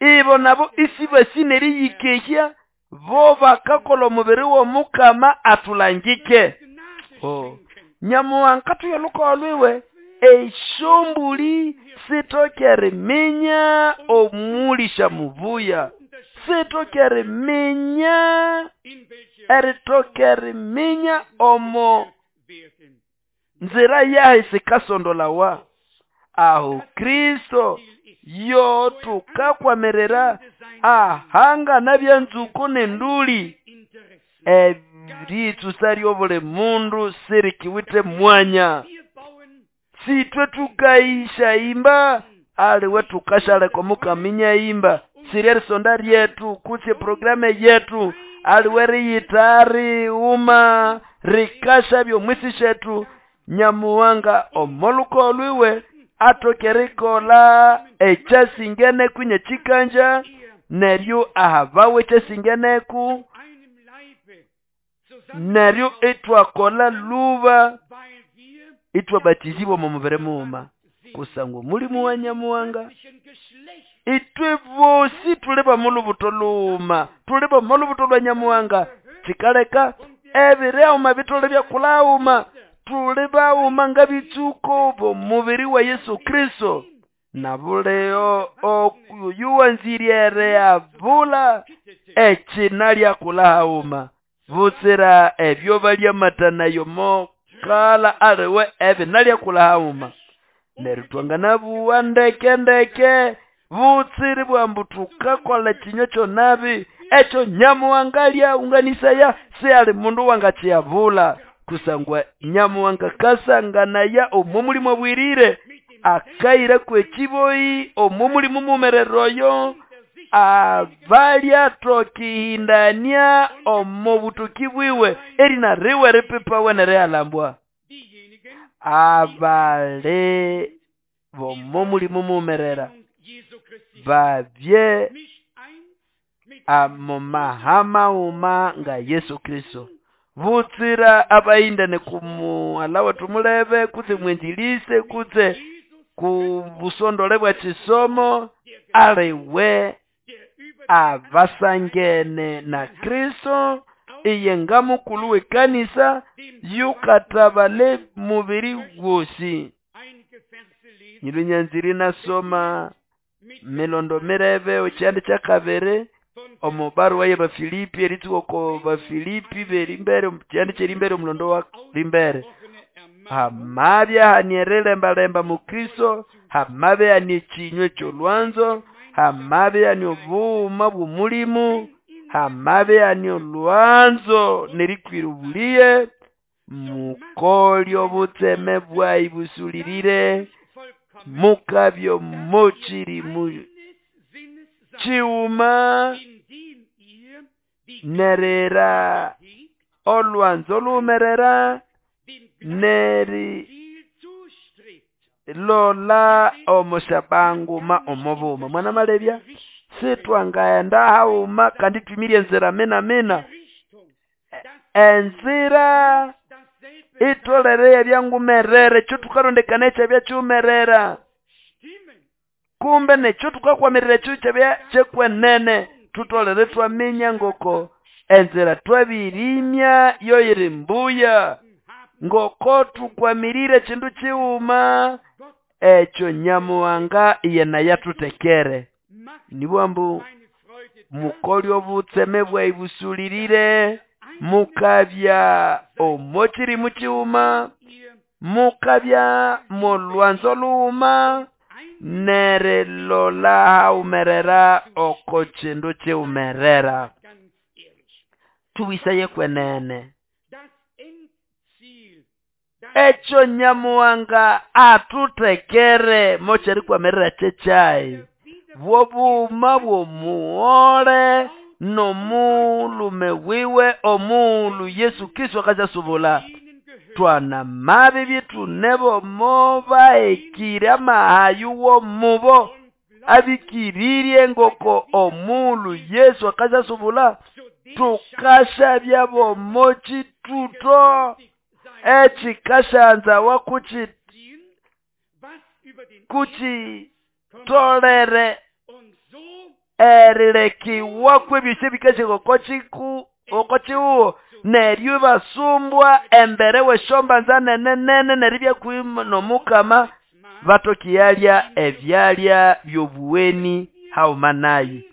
ibo nabo isibasine eriyikehya bo bakakola omubiri w'omukama atulangike. Oh. Nyamuhanga tuyo lwiwe esyombuli sitoke eriminya omulisha mubuya sitoke eriminya eritoke eriminya omo nzira yahe sikasondolawa. Aho Kristo yo tukakwamerera ahanga nabyanzuko n'enduli eritsusa ly'obuli mundu sirikiwithe mwanya. Sitwe tukaishaimba aliwe tukashaleka omukaminya imba siri erisonda ryetu kutse programe yetu aliwe riyitari uma rikasha by'omwisi shethu. Nyamuhanga omoluko lwiwe atoke erikola ekyasingeneku nyekikanja neryo ahabawe ekyasingeneku neryo itwakola luba itwabatizibwa omu mubiri muuma kusangwa omulimu wa Nyamuhanga itwe bosi tuli b'omulubuto luuma tuli b'omulubuto lwa Nyamuhanga kikaleka ebiriauma bitole byakulhauma tuli bauma ngabitsuko b'omubiri wa Yesu Kristo. Nabuleo oyuwanzire abula ekina lyakulhauma butsira ebyo balyamatanayo mokala aliwe ebina lyakulhauma neryo twanganabuwa ndeke ndeke butsiri bwambu tukakola ekinywa kyonabi ekyo Nyamuhanga lyaunganisaya si ali mundu wangakyiyabula kusangwa Nyamuhanga kasanganaya omo mulimu obwirire akaira kwekiboyi omo mulimu mumerero oyo abalyatokihindania omo butuki bwiwe erina riwe ripipawe neriyalambwa. Abali bomo mulimu mumerera babye amomahamauma nga Yesu Kristo. Butsira abayindane kumuhala wethu mulebe kutse mwenjilise kutse ku busondole bwa kisomo aliwe abasangene na Kristo iye nga mukulu w'ekanisa yukatabale mubiri gwosi. Nyilunyanziri nasoma milondo mirebe ekyandi kyakabiri omu baruwa y'Abafilipi eritsuka oko Bafilipi b'erimbere kyandi ky'erimbere omulondo wa rimbere. Hamabya hania erilembalemba mu Kristo, hamabya hania ekinywa eky'olwanzo, hamabya hania obughuma bw'omulimu, hamabya hania olwanzo n'erikwira obuliye, mukolye obutseme bwayi busulirire mukabya omukiri chiuma nerera olwanzo lumerera neri lola omushabanguma omobuma. Mwana malebya sitwangaenda hauma kandi twimirye enzira mina mina enzira itolere ebyangumerere ekyo tukarondekana ekyabya kyumerera kumbe nekyo tukakwamirira ekyo kyabya kyekwenene tutolere twaminya ngoko enzira twabirimya yoyiri mbuya ngoko tukwamirire kindu kiwuma ekyo Nyamuhanga yena yatutekere. Nibwambu mukoli obutseme bwaibusulirire mukabya omokirimu kiwuma mukabya molwanzo luwuma nerilola haumerera oko kindu kiwumerera. Tuwisaye kwenene ekyo Nyamuhanga atutekere mokyerikwamirira kyekyayi bwobuma bwomuwole nomulume wiwe omulu Yesu Kristo akasubula. Twana mabi bitu nebo mobaekire amahayu womubo abikiririe ngoko omulu Yesu akasubula. Tukashabya bomokituto ekikashanza wakuchi kuchi tolere erirekiwa kwebise bikashe okochiku okochiuo neryo basumbwa embere weshombanza nene nene neribya kwima nomukama batokiyalya ebyalya byobuweni haumanayi.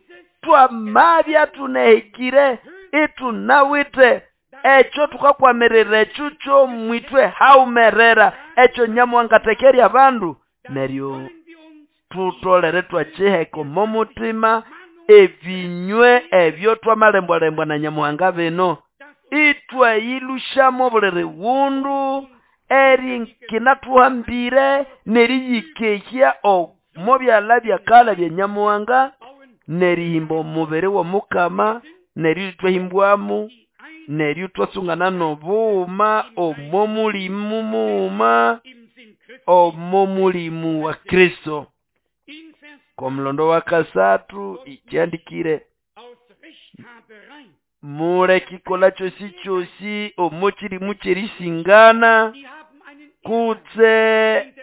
Twamabya tunehikire itunawite ekyo tukakwamirira ekyo kyomwitwe haumerera ekyo Nyamuhanga tekerya abandu neryo tutolere twakiheka omomutima ebinywe ebyo twamalembwalembwa na Nyamuhanga bino itwayilushamo buli riwundu eri nkinatuhambire neriyikehya omo byala byakala bya Nyamuhanga nerihimba omubiri w'omukama neryo twahimbwamu neryo twasungana nobuuma omo mulimu muuma omo mulimu wa Kristo. Komulondo wa kasatu ikyandikire mule kikola kyosi kyosi omo kirimu kyerisingana kutse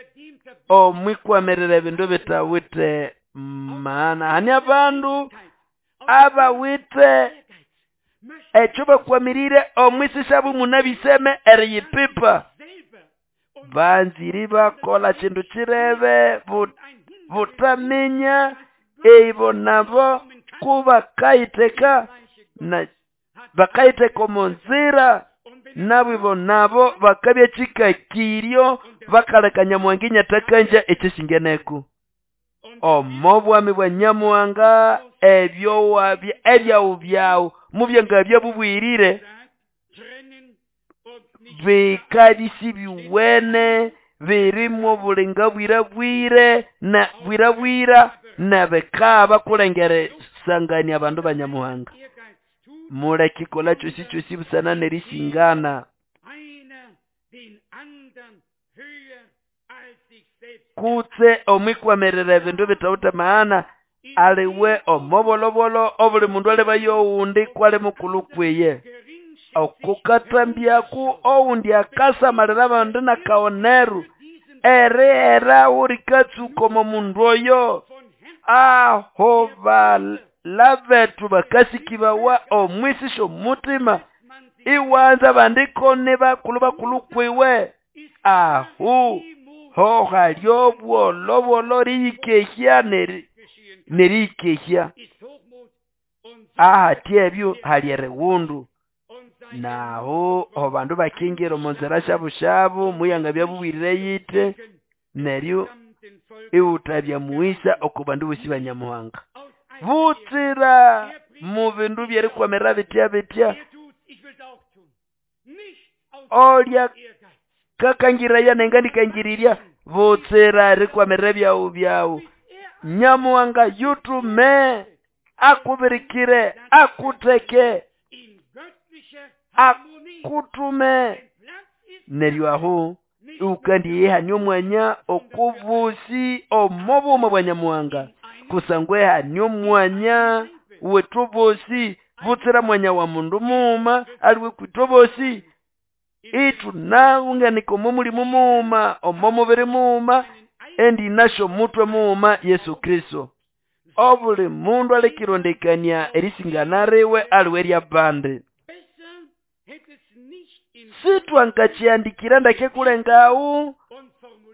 omwikwamirira ebindu bitawite maana. Hani abandu abawite ekyo bakwamirire omwisishabu munabiseme eriyipipa banziri bakola kindu kirebe butaminya eibo nabo kubakayiteka na bakayiteka omunzira nabo nabo bakabya kikakiryo bakaleka Nyamuhanga inyatakanja ekyesingeneku. Omo bwami bwa Nyamuhanga ebyo wabya ebyawu byawu mubyenga byabubwirire bikabisi biwene birimo bulinga bwira bwire na bwira bwira na bekaba kulengere sangania abandu ba Nyamuhanga. Mule kikola kyosi kyosi busana nerisingana kutse omwikwamirira ebindu bitawute maana aliwe omobolobolo obuli mundu alibayo owundi kwali mukulu kwiye okukatambyaku owundi akasamalira abandu nakaoneru ere era urikatsuka omo mundu oyo aho balabetu bakasikibawa omwisisha omutima iwanza bandiko bakulu bakulu kwiwe ahu ho halyo bwolobwolo riyikehya neriyikehya ahati ebyo hali eriwundu naho abandu bakingira omunzira shabu shabu muyanga byabubwirire yite neryo iwutabya muwisa oko bandu bosi ba Nyamuhanga butsira mu bindu byerikwamirira bitya bitya olya kakangiraya nengandikangirirya butsira erikwamirira byawu byawu Nyamuhanga yutume Akubirikire, akuteke, akutume. Neryo aho ukandiyihania omwanya okubusi omo buma bwa Nyamuhanga, kusangwa ehania omwanya wethu bosi butsira mwanya wa mundu muuma aliwe kwitwe bosi. Ithunawunganika omo mulimu muuma, omo mubiri muuma, endinasyo omutwe muuma Yesu Kristo. Obuli mundu alekirondekania erisingana riwe aliwe ryabandi. Sitwangakihandikira ndeke kulengawu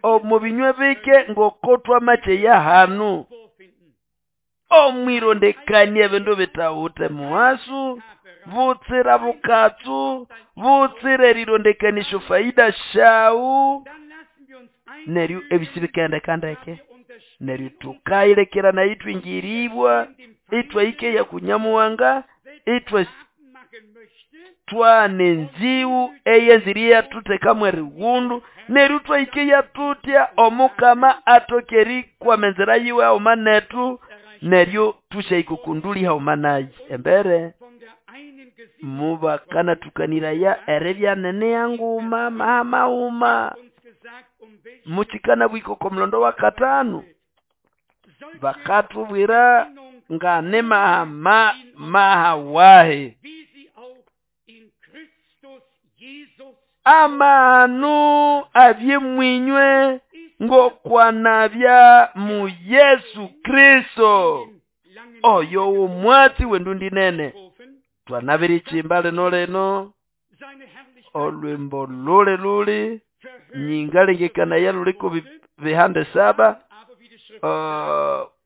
omo binywe bike ngoko twamacheya hanu. Omwirondekania ebindu bitawute muhasu, butsira bukatsu, butsira erirondekanisha faida shawu, neryo ebisi bikaendeka ndeke. Neryo tukayilekera nayo itwingiribwa, itwahikeya ku Nyamuhanga, itwa twana enziwu eyenzire yathuthekamu erighundu, neryo twahikeya tutya Omukama atoke erikwama enzira yiwe haghuma nethu, neryo tusyahika okunduli haghuma naye. Embere mubakanathukaniraya eribya nene yanguma mahamahuma mukikana bwika oko mulondo wa katano bakathubwira ngane mahama mahawahe amahano abye mwinywe ngokwanabya mu Yesu Kristo oyo womwatsi wendundi nene. Twanabiri chimba lino lino olwimbo luli luli nyingalengekana yaluliko bihande 7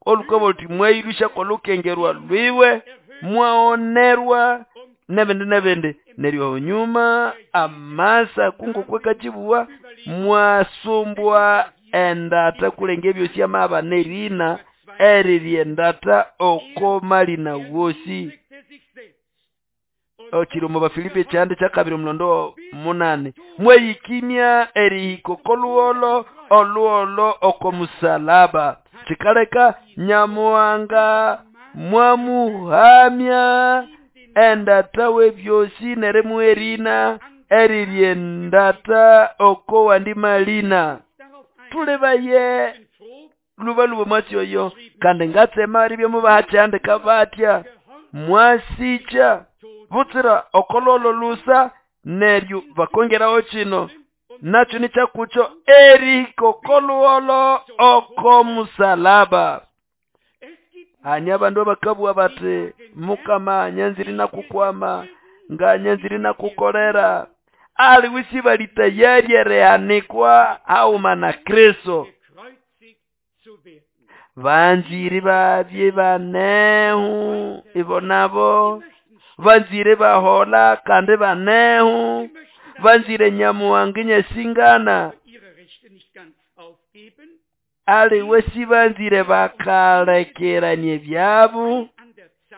olukobo luti mwailusha kolukengerwa lwiwe mwaonerwa nebindi nebindi. Neryo nyuma amasa kungo kwekachibuwa mwasumbwa endata kulenge byosi amaba nerina eriri endata oko malina wosi. Okiri omu Bafilipi kyandi kyakabiri omulondo 8 mweyikimya erihiko koluholo oluholo oko musalaba kikaleka Nyamuhanga mwamuhamya endata webyosi neremuherina eriri endata oko wandi malina. Tulebaye lubaluba mwasi oyo kandi ngatsema ribyo mubahakyandika batya mwasicha butsira okololo lusa neryo bakongeraho kino nakyo nikyakucho erihiko koluholo oko musalaba. Hanya abandu abakabwa bati Mukama nyanziri nakukwama nga nyanziri nakukolera aliwisi bali tayari ereanikwa hauma na Kristo. Banziri babye banehu ibo nabo banzire bahola kandi banehu banzire Nyamuhanga nyesingana aliwe sibanzire bakalekeranye byabu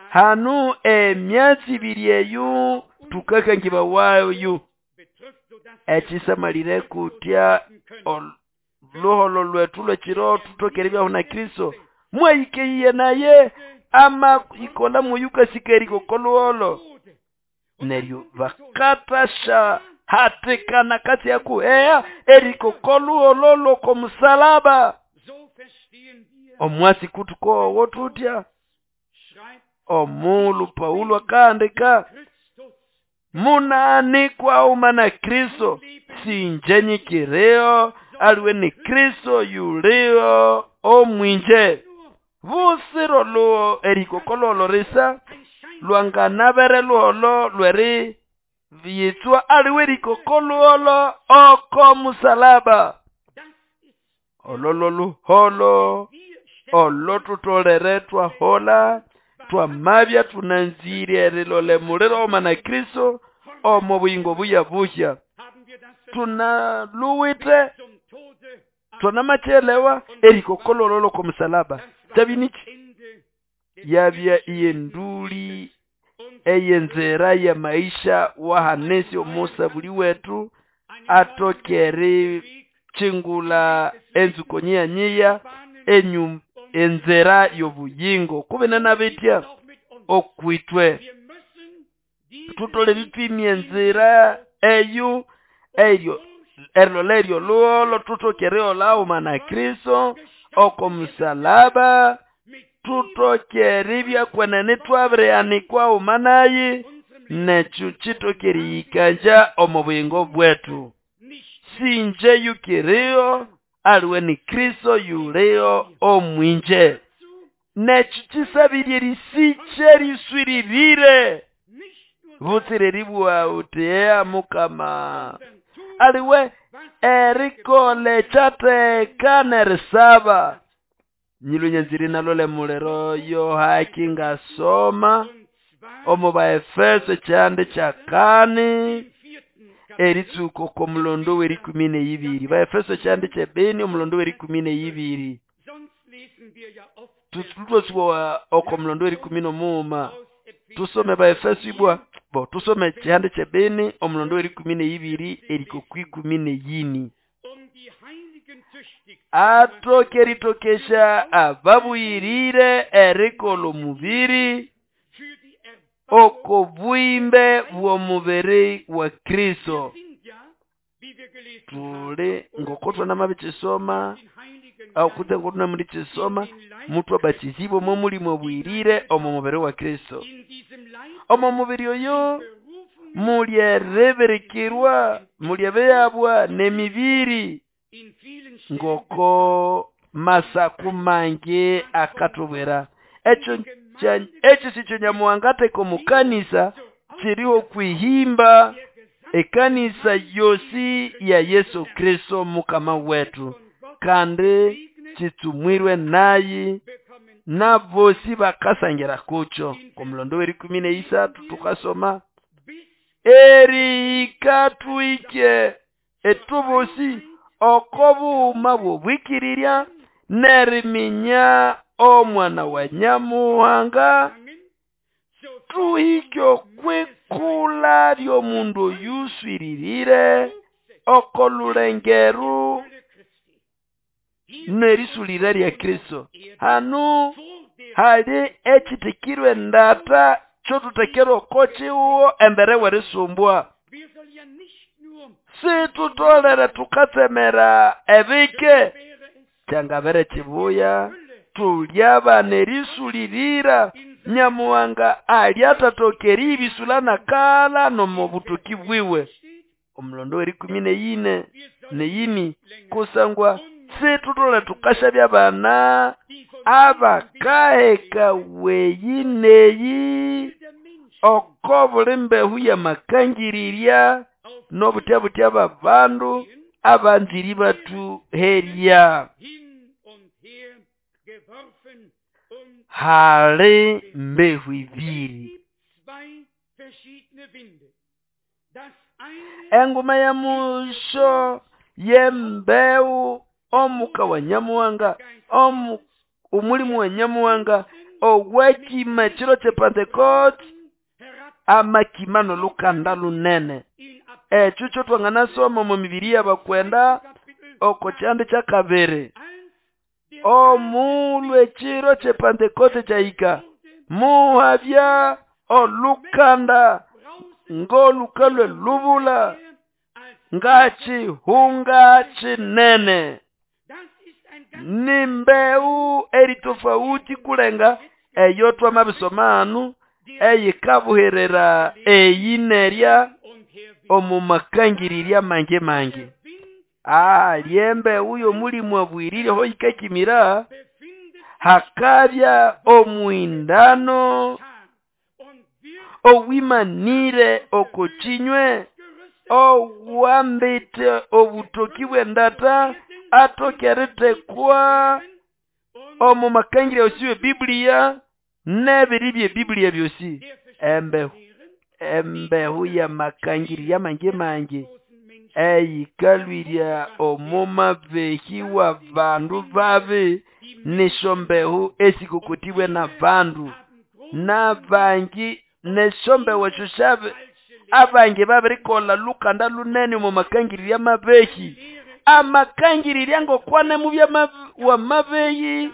hanu emyatsi ibiri eyu tukakangiba wayo ekisamalire kutya luholo lwetu lwekiro tutokere byaho na Kristo mwayikeiye naye ama ikola muyuka sikeriko koluholo neryo bakatasha hatikana kati yakuheya eriko koluholo loko musalaba. Omwasi kutuko wotutya omulu Paulo akandika munaanikwa uma na Kristo sinjenyikireo aliwe ni Kristo yulio omwinje busiro luo eriko kololo risa lwanganabere luholo lweri yitswa aliwe eriko koluholo oko musalaba. Ololo luholo olotutolere twahola twamabya tunanzire erilole muliro oma na Kristo omo buyingo buya buhya tunaluwite twanamachelewa eriko kolololo ko musalaba tabiniki yabya iyenduli eyenzera ya maisha wahanesi omusa buli wetu atokeri chingula enzuko nyiya nyiya enyu enzera yobuyingo kubena nabetya. okwitwe. Tutolere twimye enzira eyo eryo erilola eryo luholo tutoke erihola haghuma na Kristo oko musalaba, tutoke eribya kwenene twabirihanikwa haghuma naye, nekyo kitoke eriyikanja omu buyingo bwetu. Sinje yukiriho, aliwe ni Kristo yuliho omwinje. Nekyo kisabirye erisikya eriswiririre butsire eribugha uthi eya Mukama, aliwe erikola ekyatheka nerisaba. Nyilwe nyanzire nalole muliro yo haki ngasoma omu Baefeso ekyihande kyakani eritsuka oko mulondo w'erikumi n'eyibiri. Baefeso ekyihande kyebini omulondo w'erikumi n'eyibiri. Tutwasiwa oko mulondo w'erikumi n'omughuma. Tusome Baefeso ibwa bo tusome ekyihande kyebini omulondo w'erikumi n'eyibiri eriko kwikumi n'eyini. Atoke eritokesha ababuyirire erikola omubiri oko bwimbe bw'omubiri wa Kristo. Tuli ngoko twanamabikisoma akutse ngoko tunamundikisoma muthu abatizibwe omo mulimo obwirire omo mubiri wa Kristo. Omo mubiri oyo mulyeribirikirwa, mulyebeyabwa n'emibiri ngoko masaku mangi akatubwira. Ekyo ekyo sikyo Nyamuhanga atheka omu kanisa kiriho kwihimba ekanisa yosi ya Yesu Kristo Mukama wetu, kandi kitsumwirwe naye nabosi bakasangira kukyo. Omulondo w'erikumi n'eyisathu tukasoma erihika twike etubosi oko bughuma bw'obwikirirya neriminya omwana wa Nyamuhanga, tuhike okwikula ly'omundu oyuswiririre oko lulengeru nerisulira lya Kristo. Hanu hali ekitikirwe endata kyotutekerwa oko kihuho embere w'erisumbwa. Situtolere tukatsemera ebike kyangabere kibuya tulyaba nerisulirira Nyamuhanga alyathatoka eribisula nakala nomu butoki bwiwe. Omulondo w'erikumi n'eyine n'eyini kusangwa situtolere tukashabya abana abakaheka weyi neyi oko buli mbehu y'amakangirirya n'obutya-butya b'abandu abanziri bathuherya. Hali mbehu ibiri. Enguma ya musho y'embehu omuka wa Nyamuhanga, omulimu wa Nyamuhanga owakima ekiro kye Pentecost amakima n'olukanda lunene. Ekyo kyo twanganasoma omu mibiri y'abakwenda oko kyihande kyakabiri. Omulhu ekiro kye Pentecost kyahika muhabya olukanda ng'oluka lw'elubula ngakihunga kinene. Ni mbehu eri tofauti kulenga eyo twamabisoma hanu eyikabuherera eyi nerya omu makangirirya mangi mangi. Lyembehu y'omulimu abwirire ho yikakimira hakabya omuhindano owimanire oko kinywe owambite obutoki bw'endata atoke eritekwa omu makangirya yosi y'Ebiblia n'ebiri by'Ebiblia byosi. Embehu y'amakangirya mangi mangi eyikalwirya omu mabehi w'abandu babi nisyo mbehu esikokotibwe n'abandu n'abangi nesyo mbehu esyo syabe abangi babirikolha lukanda lunene omu makangirirya amabehi. Amakangirirya ngokwane mubya wa mabehi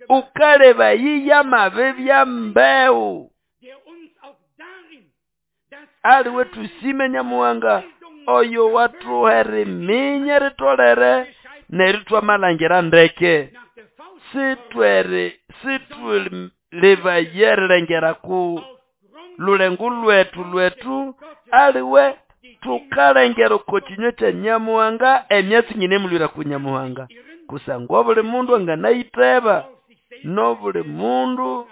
ukaleba yiya mabe bya mbehu. Aliwe tusime Nyamuhanga oyo watuha eriminya ritolere neryo twamalangira ndeke. Sitwelibaya erilengera ku lulengo lwetu aliwe tukalengera oko kinywe kya Nyamuhanga emyatsi nyinemulwira ku Nyamuhanga. Kusangwa buli mundu anganayitheba nobuli mundu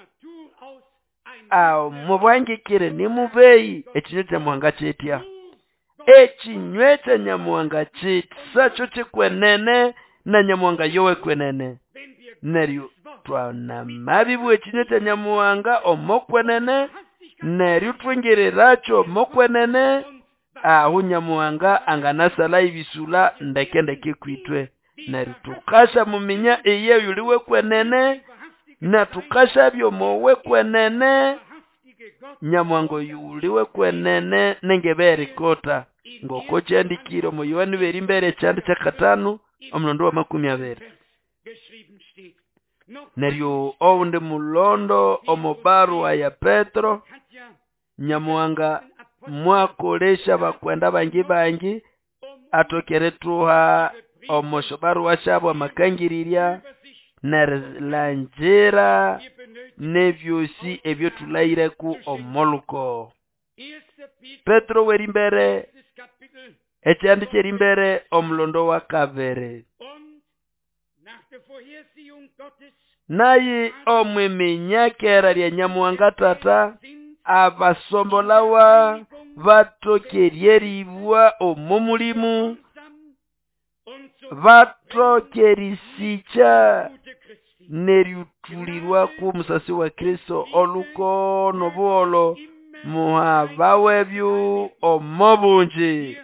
mubwangikire nimubeyi. Ekinywe kya Nyamuhanga kitya? Ekinywe kya Nyamuhanga kisakyo kikwenene na Nyamuhanga yowe kwenene. Neryo twanamabibwa ekinywe kya Nyamuhanga omokwenene neryo twingirirakyo omokwenene aho Nyamuhanga anganasala ibisula ndeke ndeke kwitwe. Neryo tukasha muminya iye yuliwe kwenene na tukasha byomowe kwenene. Nyamuhanga yuliwe kwenene nengeberikota ngoko kyandikire omu Yohana berimbere ekyanda kyakatano omulondo wa 20. Neryo owundi mulondo omubarua ya Petro Nyamuhanga mwakolesha bakwenda bangi bangi atokere tuha omosho barua syabo amakangirirya nerilangira nebyosi ebyo tulaireku omoluko. Petro werimbere ekyandi kyerimbere omulondo wa 2. Naye omwiminyakera lya Nyamuhanga tata abasombolawa batokeryeribwa omo mulimu batokerisicha neryutulirwa ku musasi wa Kristo oluko nobuholo muhabawebyu omobunji.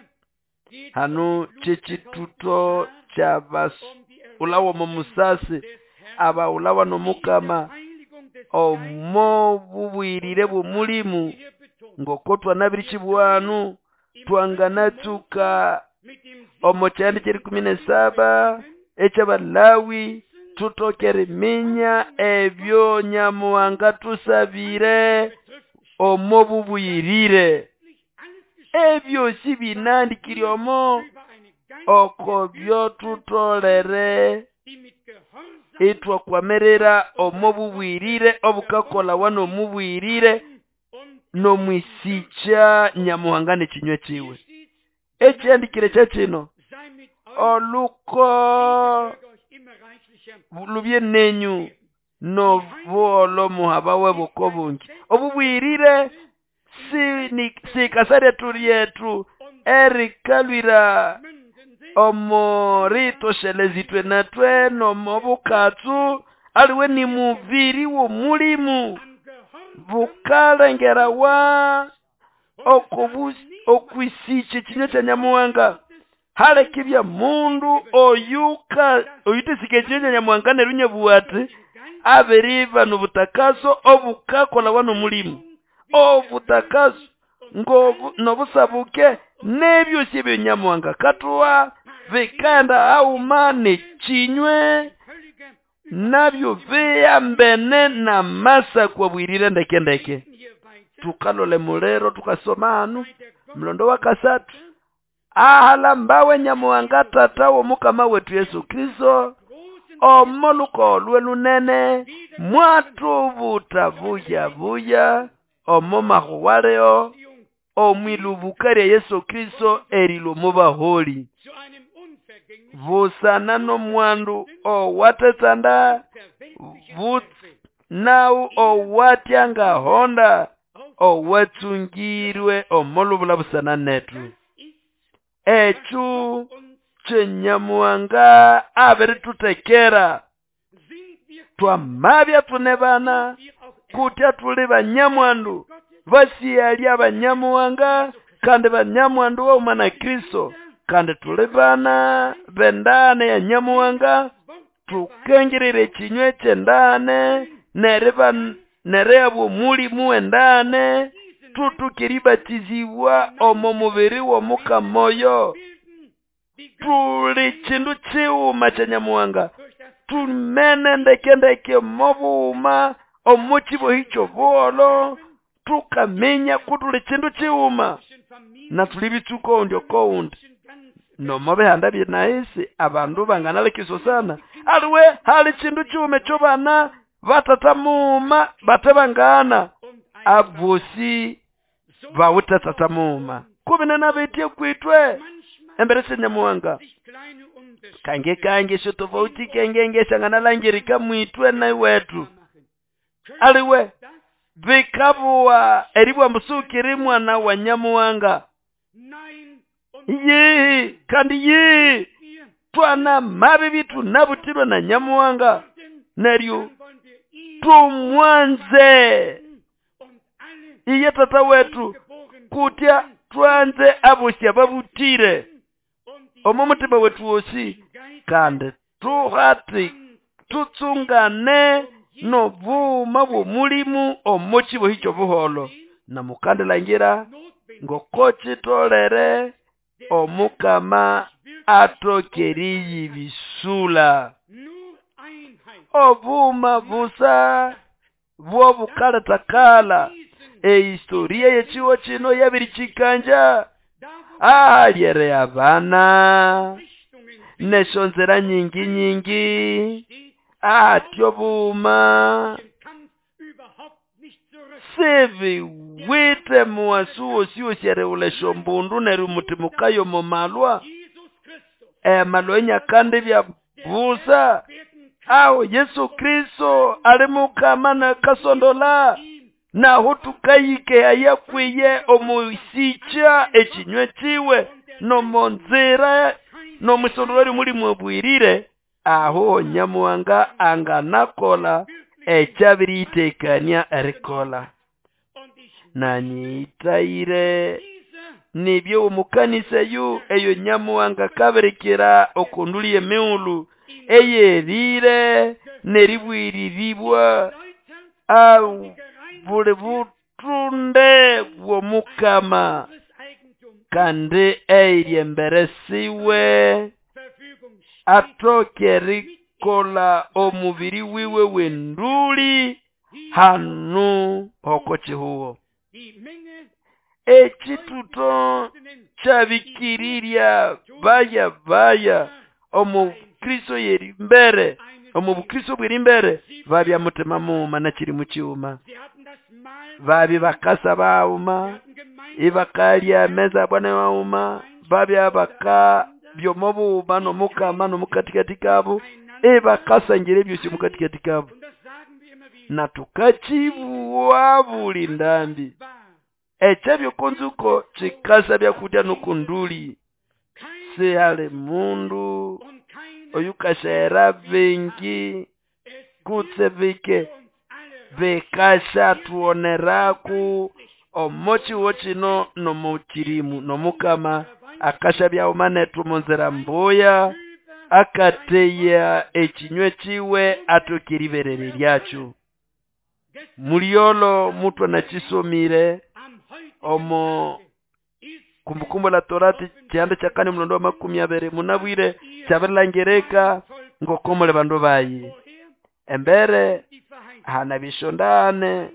Hano kyekituto kyabasulawa omo musasi abaulawa nomukama omo bubwirire bw'omulimu ngoko twanabirikibwanu twanganatsuka omo kyandi kyeri 17 ekyabalawi tutokere minya ebyo Nyamuhanga tusabire omo bubwirire. Ebyo si binandikire omo oko byo tutolere itwakwamerera omo bubwirire obukakola wano mubwirire nomwisicha Nyamuhanga nekinywe kiwe. Ekyandikire kyakino oluko lubye nenyu nobuholo muhabawe bukobungi. Obubwirire sikasarya turyetu erikalwira omo ritoshelezitwe natwe nomobukatsu aliwe ni mubiri w'omulimu bukalengerawa okwisicha ekinywa kya Nyamuhanga. Halekibya mundu oyuka oyutesika ekinywa kya Nyamuhanga neryo nyabuwati abiriba nobutakaso obukakola wano mulimu obutakaso nobusabuke nebyosi ebyo Nyamuhanga katuwa bikanda auma nekinywe nabyo biyambene na masa kwa bwirire ndeke ndeke. Tukalole mulero tukasoma hanu mlondo wa 3 ahala mbawe Nyamuhanga tata w'omukama wetu Yesu Kristo omoluko lwe lunene mwatubuta buya buya omo mahuwaleo omwilubuka lya Yesu Kristo erilo mubaholi busana nomwandu owatetanda nawu owatyanga honda owatsungirwe omolubula busana netu. Ekyo kyenyamuhanga abiritutekera twamabya tune bana kutya tuli banyamwandu basiyalya abanyamuhanga kandi banyamwandu wauma na Kristo kandi tuli bana bendane ya Nyamuhanga tukengirire ekinywe kyendane nereyabwa omulimu wendane tutukiribatizibwa omo mubiri w'omukama oyo. Tuli kindu kiwuma kya Nyamuhanga tumene ndeke ndeke mobuwuma omo kibohi ky'obuholo Tukaminya kutuli chindu chiuma na tuli bitsuko undi okoundi nomo bihanda byenaisi abandu banganalekisosana aliwe hali chindu chiume chobana batata muuma bate bangana abosi bawite tata muuma kubine nabetye kwitwe embere syenyamuwanga kange kange esyo tofauti kengenge syanganalangirika mwitwe naiwetu aliwe bikabuwa eribwa musukiri mwana wa nyamuwanga yihi kandi yihi twana mabi bitu nabutirwe na nyamuwanga neryo tumwanze iye tata wetu kutya twanze abosya babutire omo mutima wetu wosi kandi tuhati tutsungane nobuma bw'omulimu omo kibohi ky'obuholo na mukandilangira ngoko kitolere omukama atokeriyibisula obuma busa bw'obukaletakala ehistoria yechiwo chino yabirichikanja ahalyere abana neshonzera nyingi nyingi atyo buma sivi wite muwasu wosi wosi mbundu neryo mutimukayo momalwa emalwa enyakandi bya busa aho Yesu Kristo ali mukama na kasondola naho tukayike ayakwiye omusicha ekinywe kiwe nomonzira nomusondolori mulimu obwirire aho nyamuwanga anganakola ekyabiriyitekania erikola nanyitayire nibyo omukanisa yu eyo nyamuwanga kabirikira okunduli emiulu eyerire neribwiriribwa au buli butunde bw'omukama kandi eirye embere siwe atoke erikola omubiri wiwe w'enduli hanu hoko chihuo ekituto kyabikirirya baya baya omu Kristo yeri mbere omu Bukristo bweri mbere babya mutima muuma nakiri mukiuma babi bakasa bauma ibakalya meza bwana wauma babya baka byomobuuma nomukama nomukatikati kabo ibakasangira ebyosi mukatikati kabo na tukachibuwa buli ndambi ekyabyo konzuko kikasa byakudya nokunduli sihali mundu oyukashera bingi kutse bike bikasha tuoneraku omochiwo chino nomukirimu nomukama akasha byauma netu munzira mbuya akateya ekinywe kiwe atokeriberere lyakyo muliolo mutwe nakisomire omo Kumbukumbu la Torati kyanda kyakane mulondo wa 20 munabwire kyabirilangirika ngokomole bandu bayi embere hana bishondane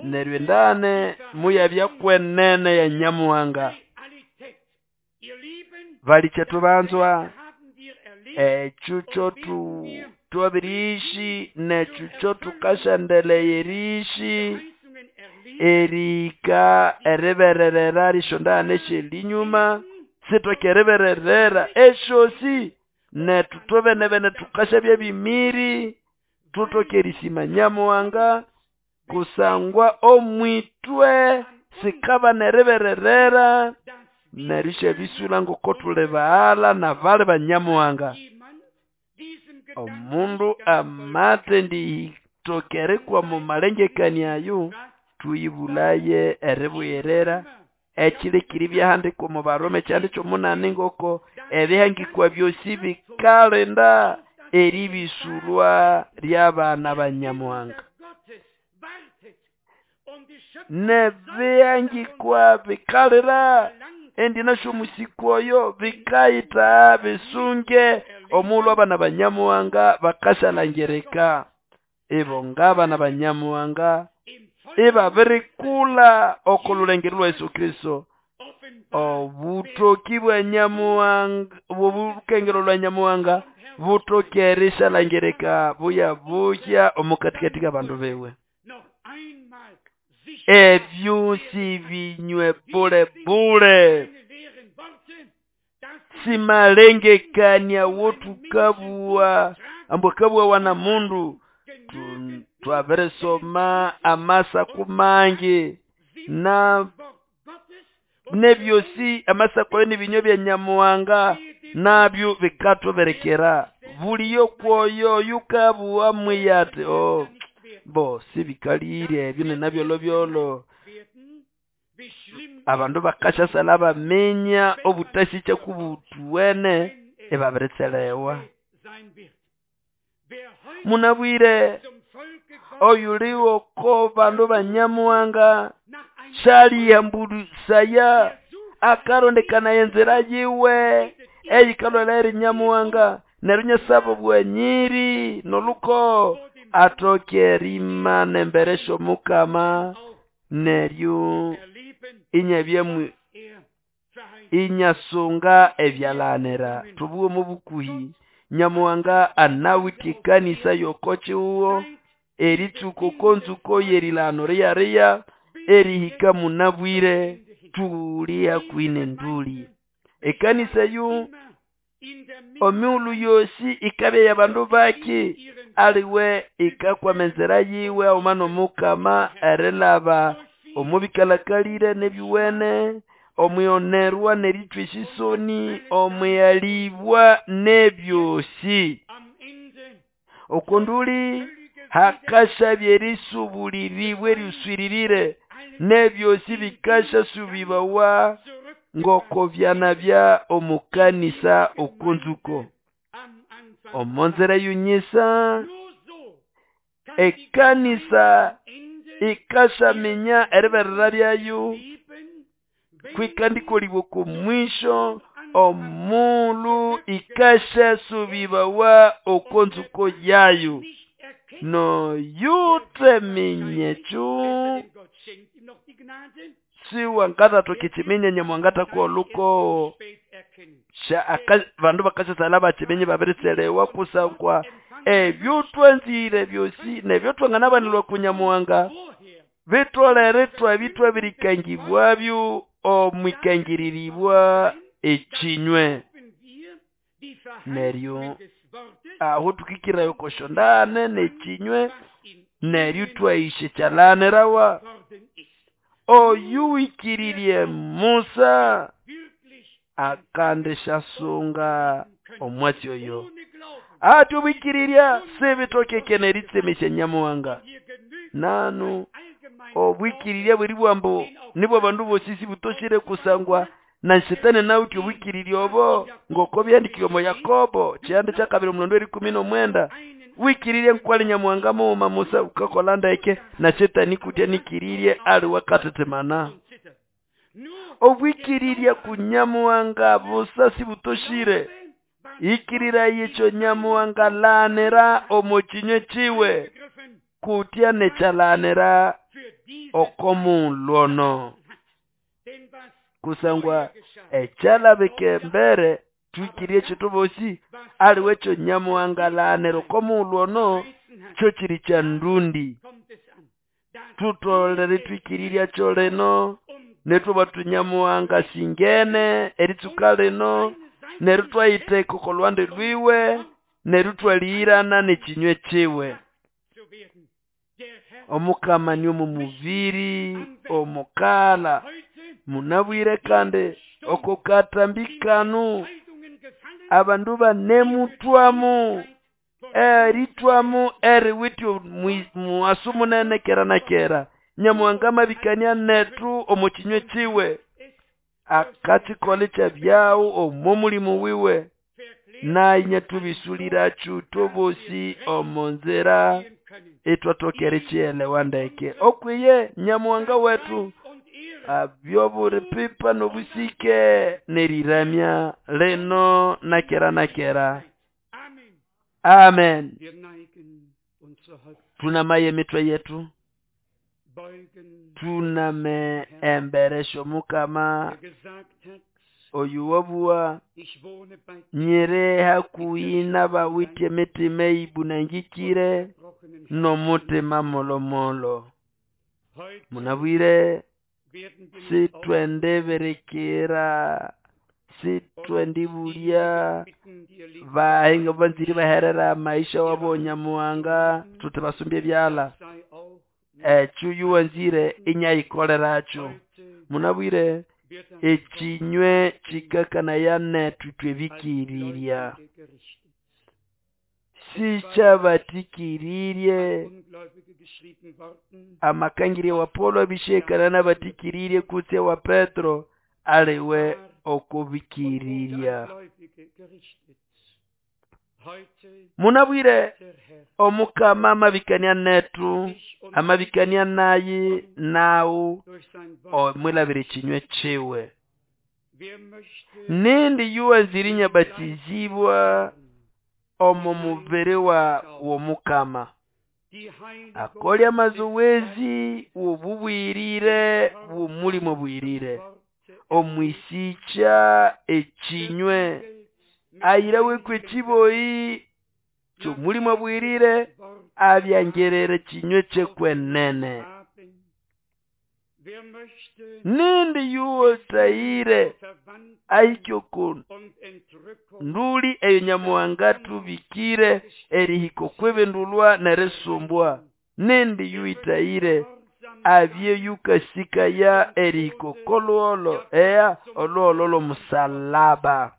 nerwendane muyabya kwenene ya nyamuwanga balikyetu banzwa echucho tu twabirishi nechucho tukashandeleyerishi erika eribererera rishondane shelinyuma sitokerebererera eshosi netu tobenebene tukashabya bimiri tutokerisima nyamuwanga kusangwa omwitwe sikaba nerebererera nerisha bisula ngoko tule baala na vale banyamuwanga omundu amate nditokerekwa mu malengekani ayo tuyibulaye eribuyerera ekilekiri byahandikwa mu Baroma ekyandi ky'omunani ngoko ebihangikwa byosi bikalinda eribisulwa ly'abaana banyamuwanga nebihangikwa bikalira endi nasho musiku oyo bikayita bisunge omulhu abaana banyamuwanga bakashalangirika ibo ng'abaana banyamuwanga Ibabirikula oko lulengero lwa Yesu Kristo. Obutoki bwa Nyamuhanga, obukengero lwa Nyamuhanga butoke erishalangirika buya buhya omukatikati k'abandu biwe. Ebyo sibinywe bule bule, simalengekania wotukabua ambu akabua wana mundu. Twabirisoma amasaku mangi na nebyosi amasako n'ibinywa bya Nyamuhanga nabyo bikathuberekera. Buliyo kwoyo yukabua mwiyati oh bo sibikalire ebyo ninabyolobyolo. Abandu bakashasala baminya obutasicha kubutuwene ebabiritselewa. Munabwire oyuliwo ko bandu ba Nyamuhanga shalihambulisaya akarondekana enzira yiwe eyikalwela eri Nyamuhanga neryo nyasaba bwanyiri noluko atoke erimana embere sh'omukama neryo inyabyamwe inyasunga ebyalanira. Tubuwe mu bukuhi Nyamuhanga anawithe ekanisa yokochiwo eritsuko konzuko yerilano riya erihika munabwire tuli hakuhi nenduli. Ekanisa yu omiulu yosi ikabya y'abandu baki aliwe ikakwama enzira yiwe auma n'omukama erilaba omubikalakalire n'ebyuwene omwionerwa n'erithwa esisoni omwiyalibwa n'ebyosi. Okonduli hakashabya erisubuliribwa eriswiririre n'ebyosi bikashasubibawa ngoko byanabya omukanisa okunzuko. Omonzera yunyisa ekanisa ikashaminya eriberera lyayo kwikandikoliwa kumwisho omulu ikashasubibawa okonzuko yayo. No yuteminyechu siwangatatoka ekiminya Nyamuhanga oluko bandu bakashasala bakimenye babiriselewa kusangwa ebyo twanzire byosi nebyo twanganabanilwa ku Nyamuhanga bitolere twabitwabirikangibwabyo omwikangiriribwa ekinywe. Neryo aho tukikirayo koshondane nekinywe neryo twaishe kyalanirawa. Oyuwikiririe Musa akandishasunga omwatsi oyo. Ati obwikiriria sibitokeke neritsemesya Nyamuhanga. Nanu obwikiriria bweri bwambo nibwo abandu bosi sibutoshire kusangwa na Shetani nawuthi obwikiriria obo ngoko byandikiwe mu Yakobo kyihanda kyakabiri omulondo erikumi n'omwenda. Wikiririe nkwali Nyamuhanga mughuma Musa ukakola ndeke na Shetani kutya nikiririe ali wakatetemana. Obwikiriria ku Nyamuhanga busa sibutoshire. Ikirira yekyo Nyamuhanga lanira omu kinywe kiwe kutya nekyalanira okomulwono. Kusangwa ekyalabika embere twikirie ekitu bosi aliwe ekyo Nyamuhanga lanira okomulwono kyo kiri kya ndundi. Tutolere twikirirya kyo lino nethuba Nyamuhanga singene eritsuka lino neryo twayitheka oko lwande lwiwe neryo twalihirana n'ekinywe kiwe. Omukama ni omu mubiri omukala munabwire kandi oko katambi kanu abandu banemutwamu eritwamu eriwithe muwasu munene kera na kera. Nyamuhanga mabikania netu omu kinywe kiwe akakikolekya kyabyawo omu mulimu wiwe nainye tubisulirachu tobosi omu nzira etwatokere chielewa ndeke. Okwiye Nyamuhanga wetu abyoburi pipa n'obusike neriramya lino na kera na kera. Amen. Tunamaye mitwe yetu. Tuname embere syomukama oyu wabuwa nyiri hakuhi n'abawithe emitima eyibunangikire n'omutima molomolo. Munabwire sithwendibirikira, sithwendibulya bahinga banzire baherera amaisha wabo Nyamuhanga tuthi basumbye ebyalha. Ekyo yuwanzire inyayikoleracho. Munabwire ekinywe kikakanaya nethu ithwe bikirirya. Sikyabatikiririe amakangirya wa Paulo abishekana n'abatikiririe kutse wa Petro aliwe okubikirirya. Munabwire omukama amabikania nethu, amabikania nayi nawu omwilabira ekinywe kiwe. Nindi yuwanzire inyabatizibwa omo mubiri wa womukama. Akolye amazowezi w'obubwirire bw'omulimo obwirire. Omwisikya ekinywe ayiraweku ekiboyi ky'omulimo obwirire abyangerere ekinywe ky'ekwenene. Nindi yuwatayire ahike oko nduli eyo Nyamuhanga athubikire erihika okw'ibindulwa n'erisumbwa. Nindi yuwitayire abye yukasikaya erihika okolhugholo eya olhugholo lw'omusalaba.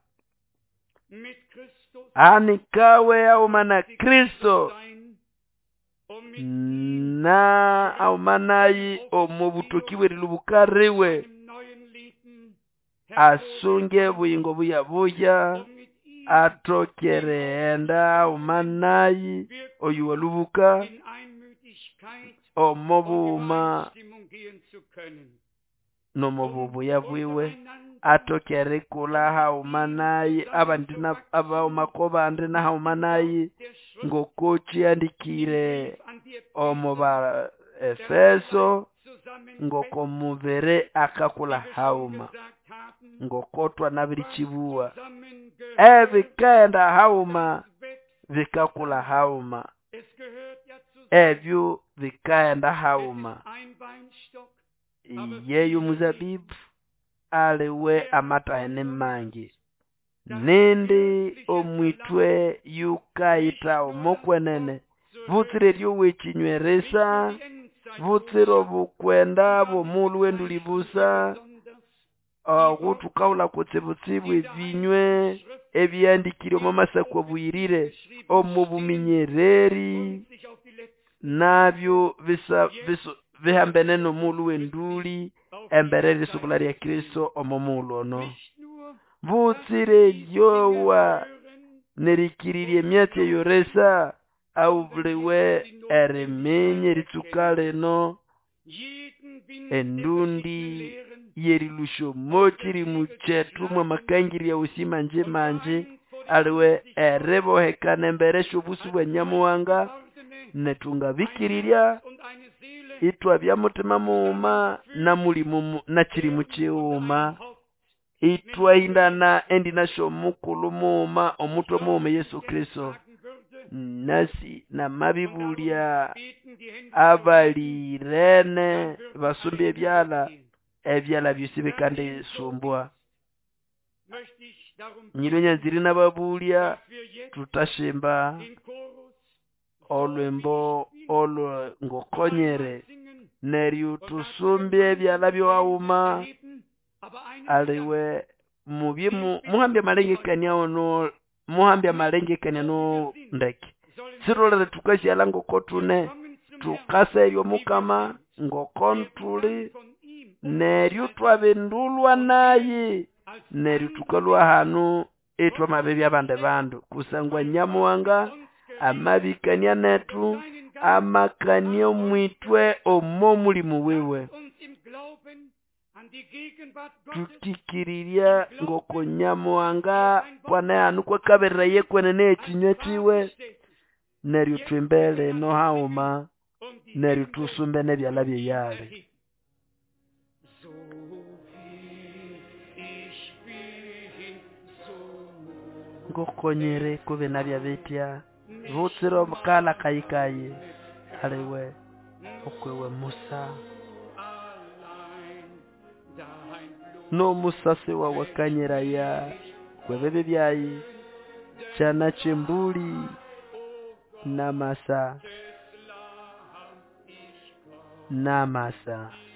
Anikawe haghuma na Kristo na haghuma nayi omo butoki bw'erilhubuka riwe asunge obuyingo buyabuya athoke erighenda haghuma nayi oyu walhubuka omo bughuma nomo bubuya bwiwe athoke erikulha haghuma nayi abandi abaghuma ko bandi nahaghuma nayi ngoko kihandikire omo ba Efeso ngoko mubiri akakulha haghuma ngoko twanabirikibuwa ebikaghenda haghuma bikakulha haghuma ebyo bikaghenda haghuma. Iyeyo muzabibu aliwe amatahi ni mangi. Nindi omwithwe yukayitha omokwenene butsira eryowa ekinywe risa, butsira obukwenda bw'omughulhu w'enduli busa, obo thukahulha kutsibutsibu ebinywe ebihandikire omo masako abuyirire omo buminyereri nabyo bisa bihambene n'omughulhu w'enduli embere y'erisubula lya Kristo omo mughulhu ono. Butsira eryowa n'erikirirya emyatsi eyo risa awubuliwe eriminya eritsuka lino endundi y'erilhusya omo kirimu kyethu mw'amakangirya wosi manji manji aliwe eribohekana embere sy'obusu bwa Nyamuhanga nethu ngabikirirya ithwabya muthima mughuma na mulimu na kirimu kighuma ithwahindana endina sy'omukulhu mughuma omuthwe mughuma Yesu Kristo. Nasi namabibulya abalirene basumba ebyalha, ebyalha byosi bikandisumbwa. Nyilwe nyanzire inababulya thuthashimba olhwimbo olwe ngokonyere neryo thusumbye ebyalha byowaghuma aliwe mubye muhambe amalengekania wano muhambe amalengekania no ndeke. Sithulere thukasighalha ngoko thune, thukaserya omukama ngoko thuli neryo ithwabindulwa nayi neryo thukalhwa hanu ithwamabibya abandi bandu kusangwa Nyamuhanga amabikania nethu amakania omwithwe omo mulimu wiwe. Thukikirirya ngoko Nyamuhanga kwanehanu kwakabereraya ekwenene y'ekinywe kiwe neryo thwimbe lino haghuma. Neryo tusumbe n'ebyalya by'eyali. So wie ich bin, so Ngokonyere kubina byabitya butsira omukala kayikayi aliwe okwewe Musa allein dein Blut n'omusasi wawe akanyiraya kwebibi byayi kyana ky'embuli n'amasa des Lamm, ich komm. N'amasa.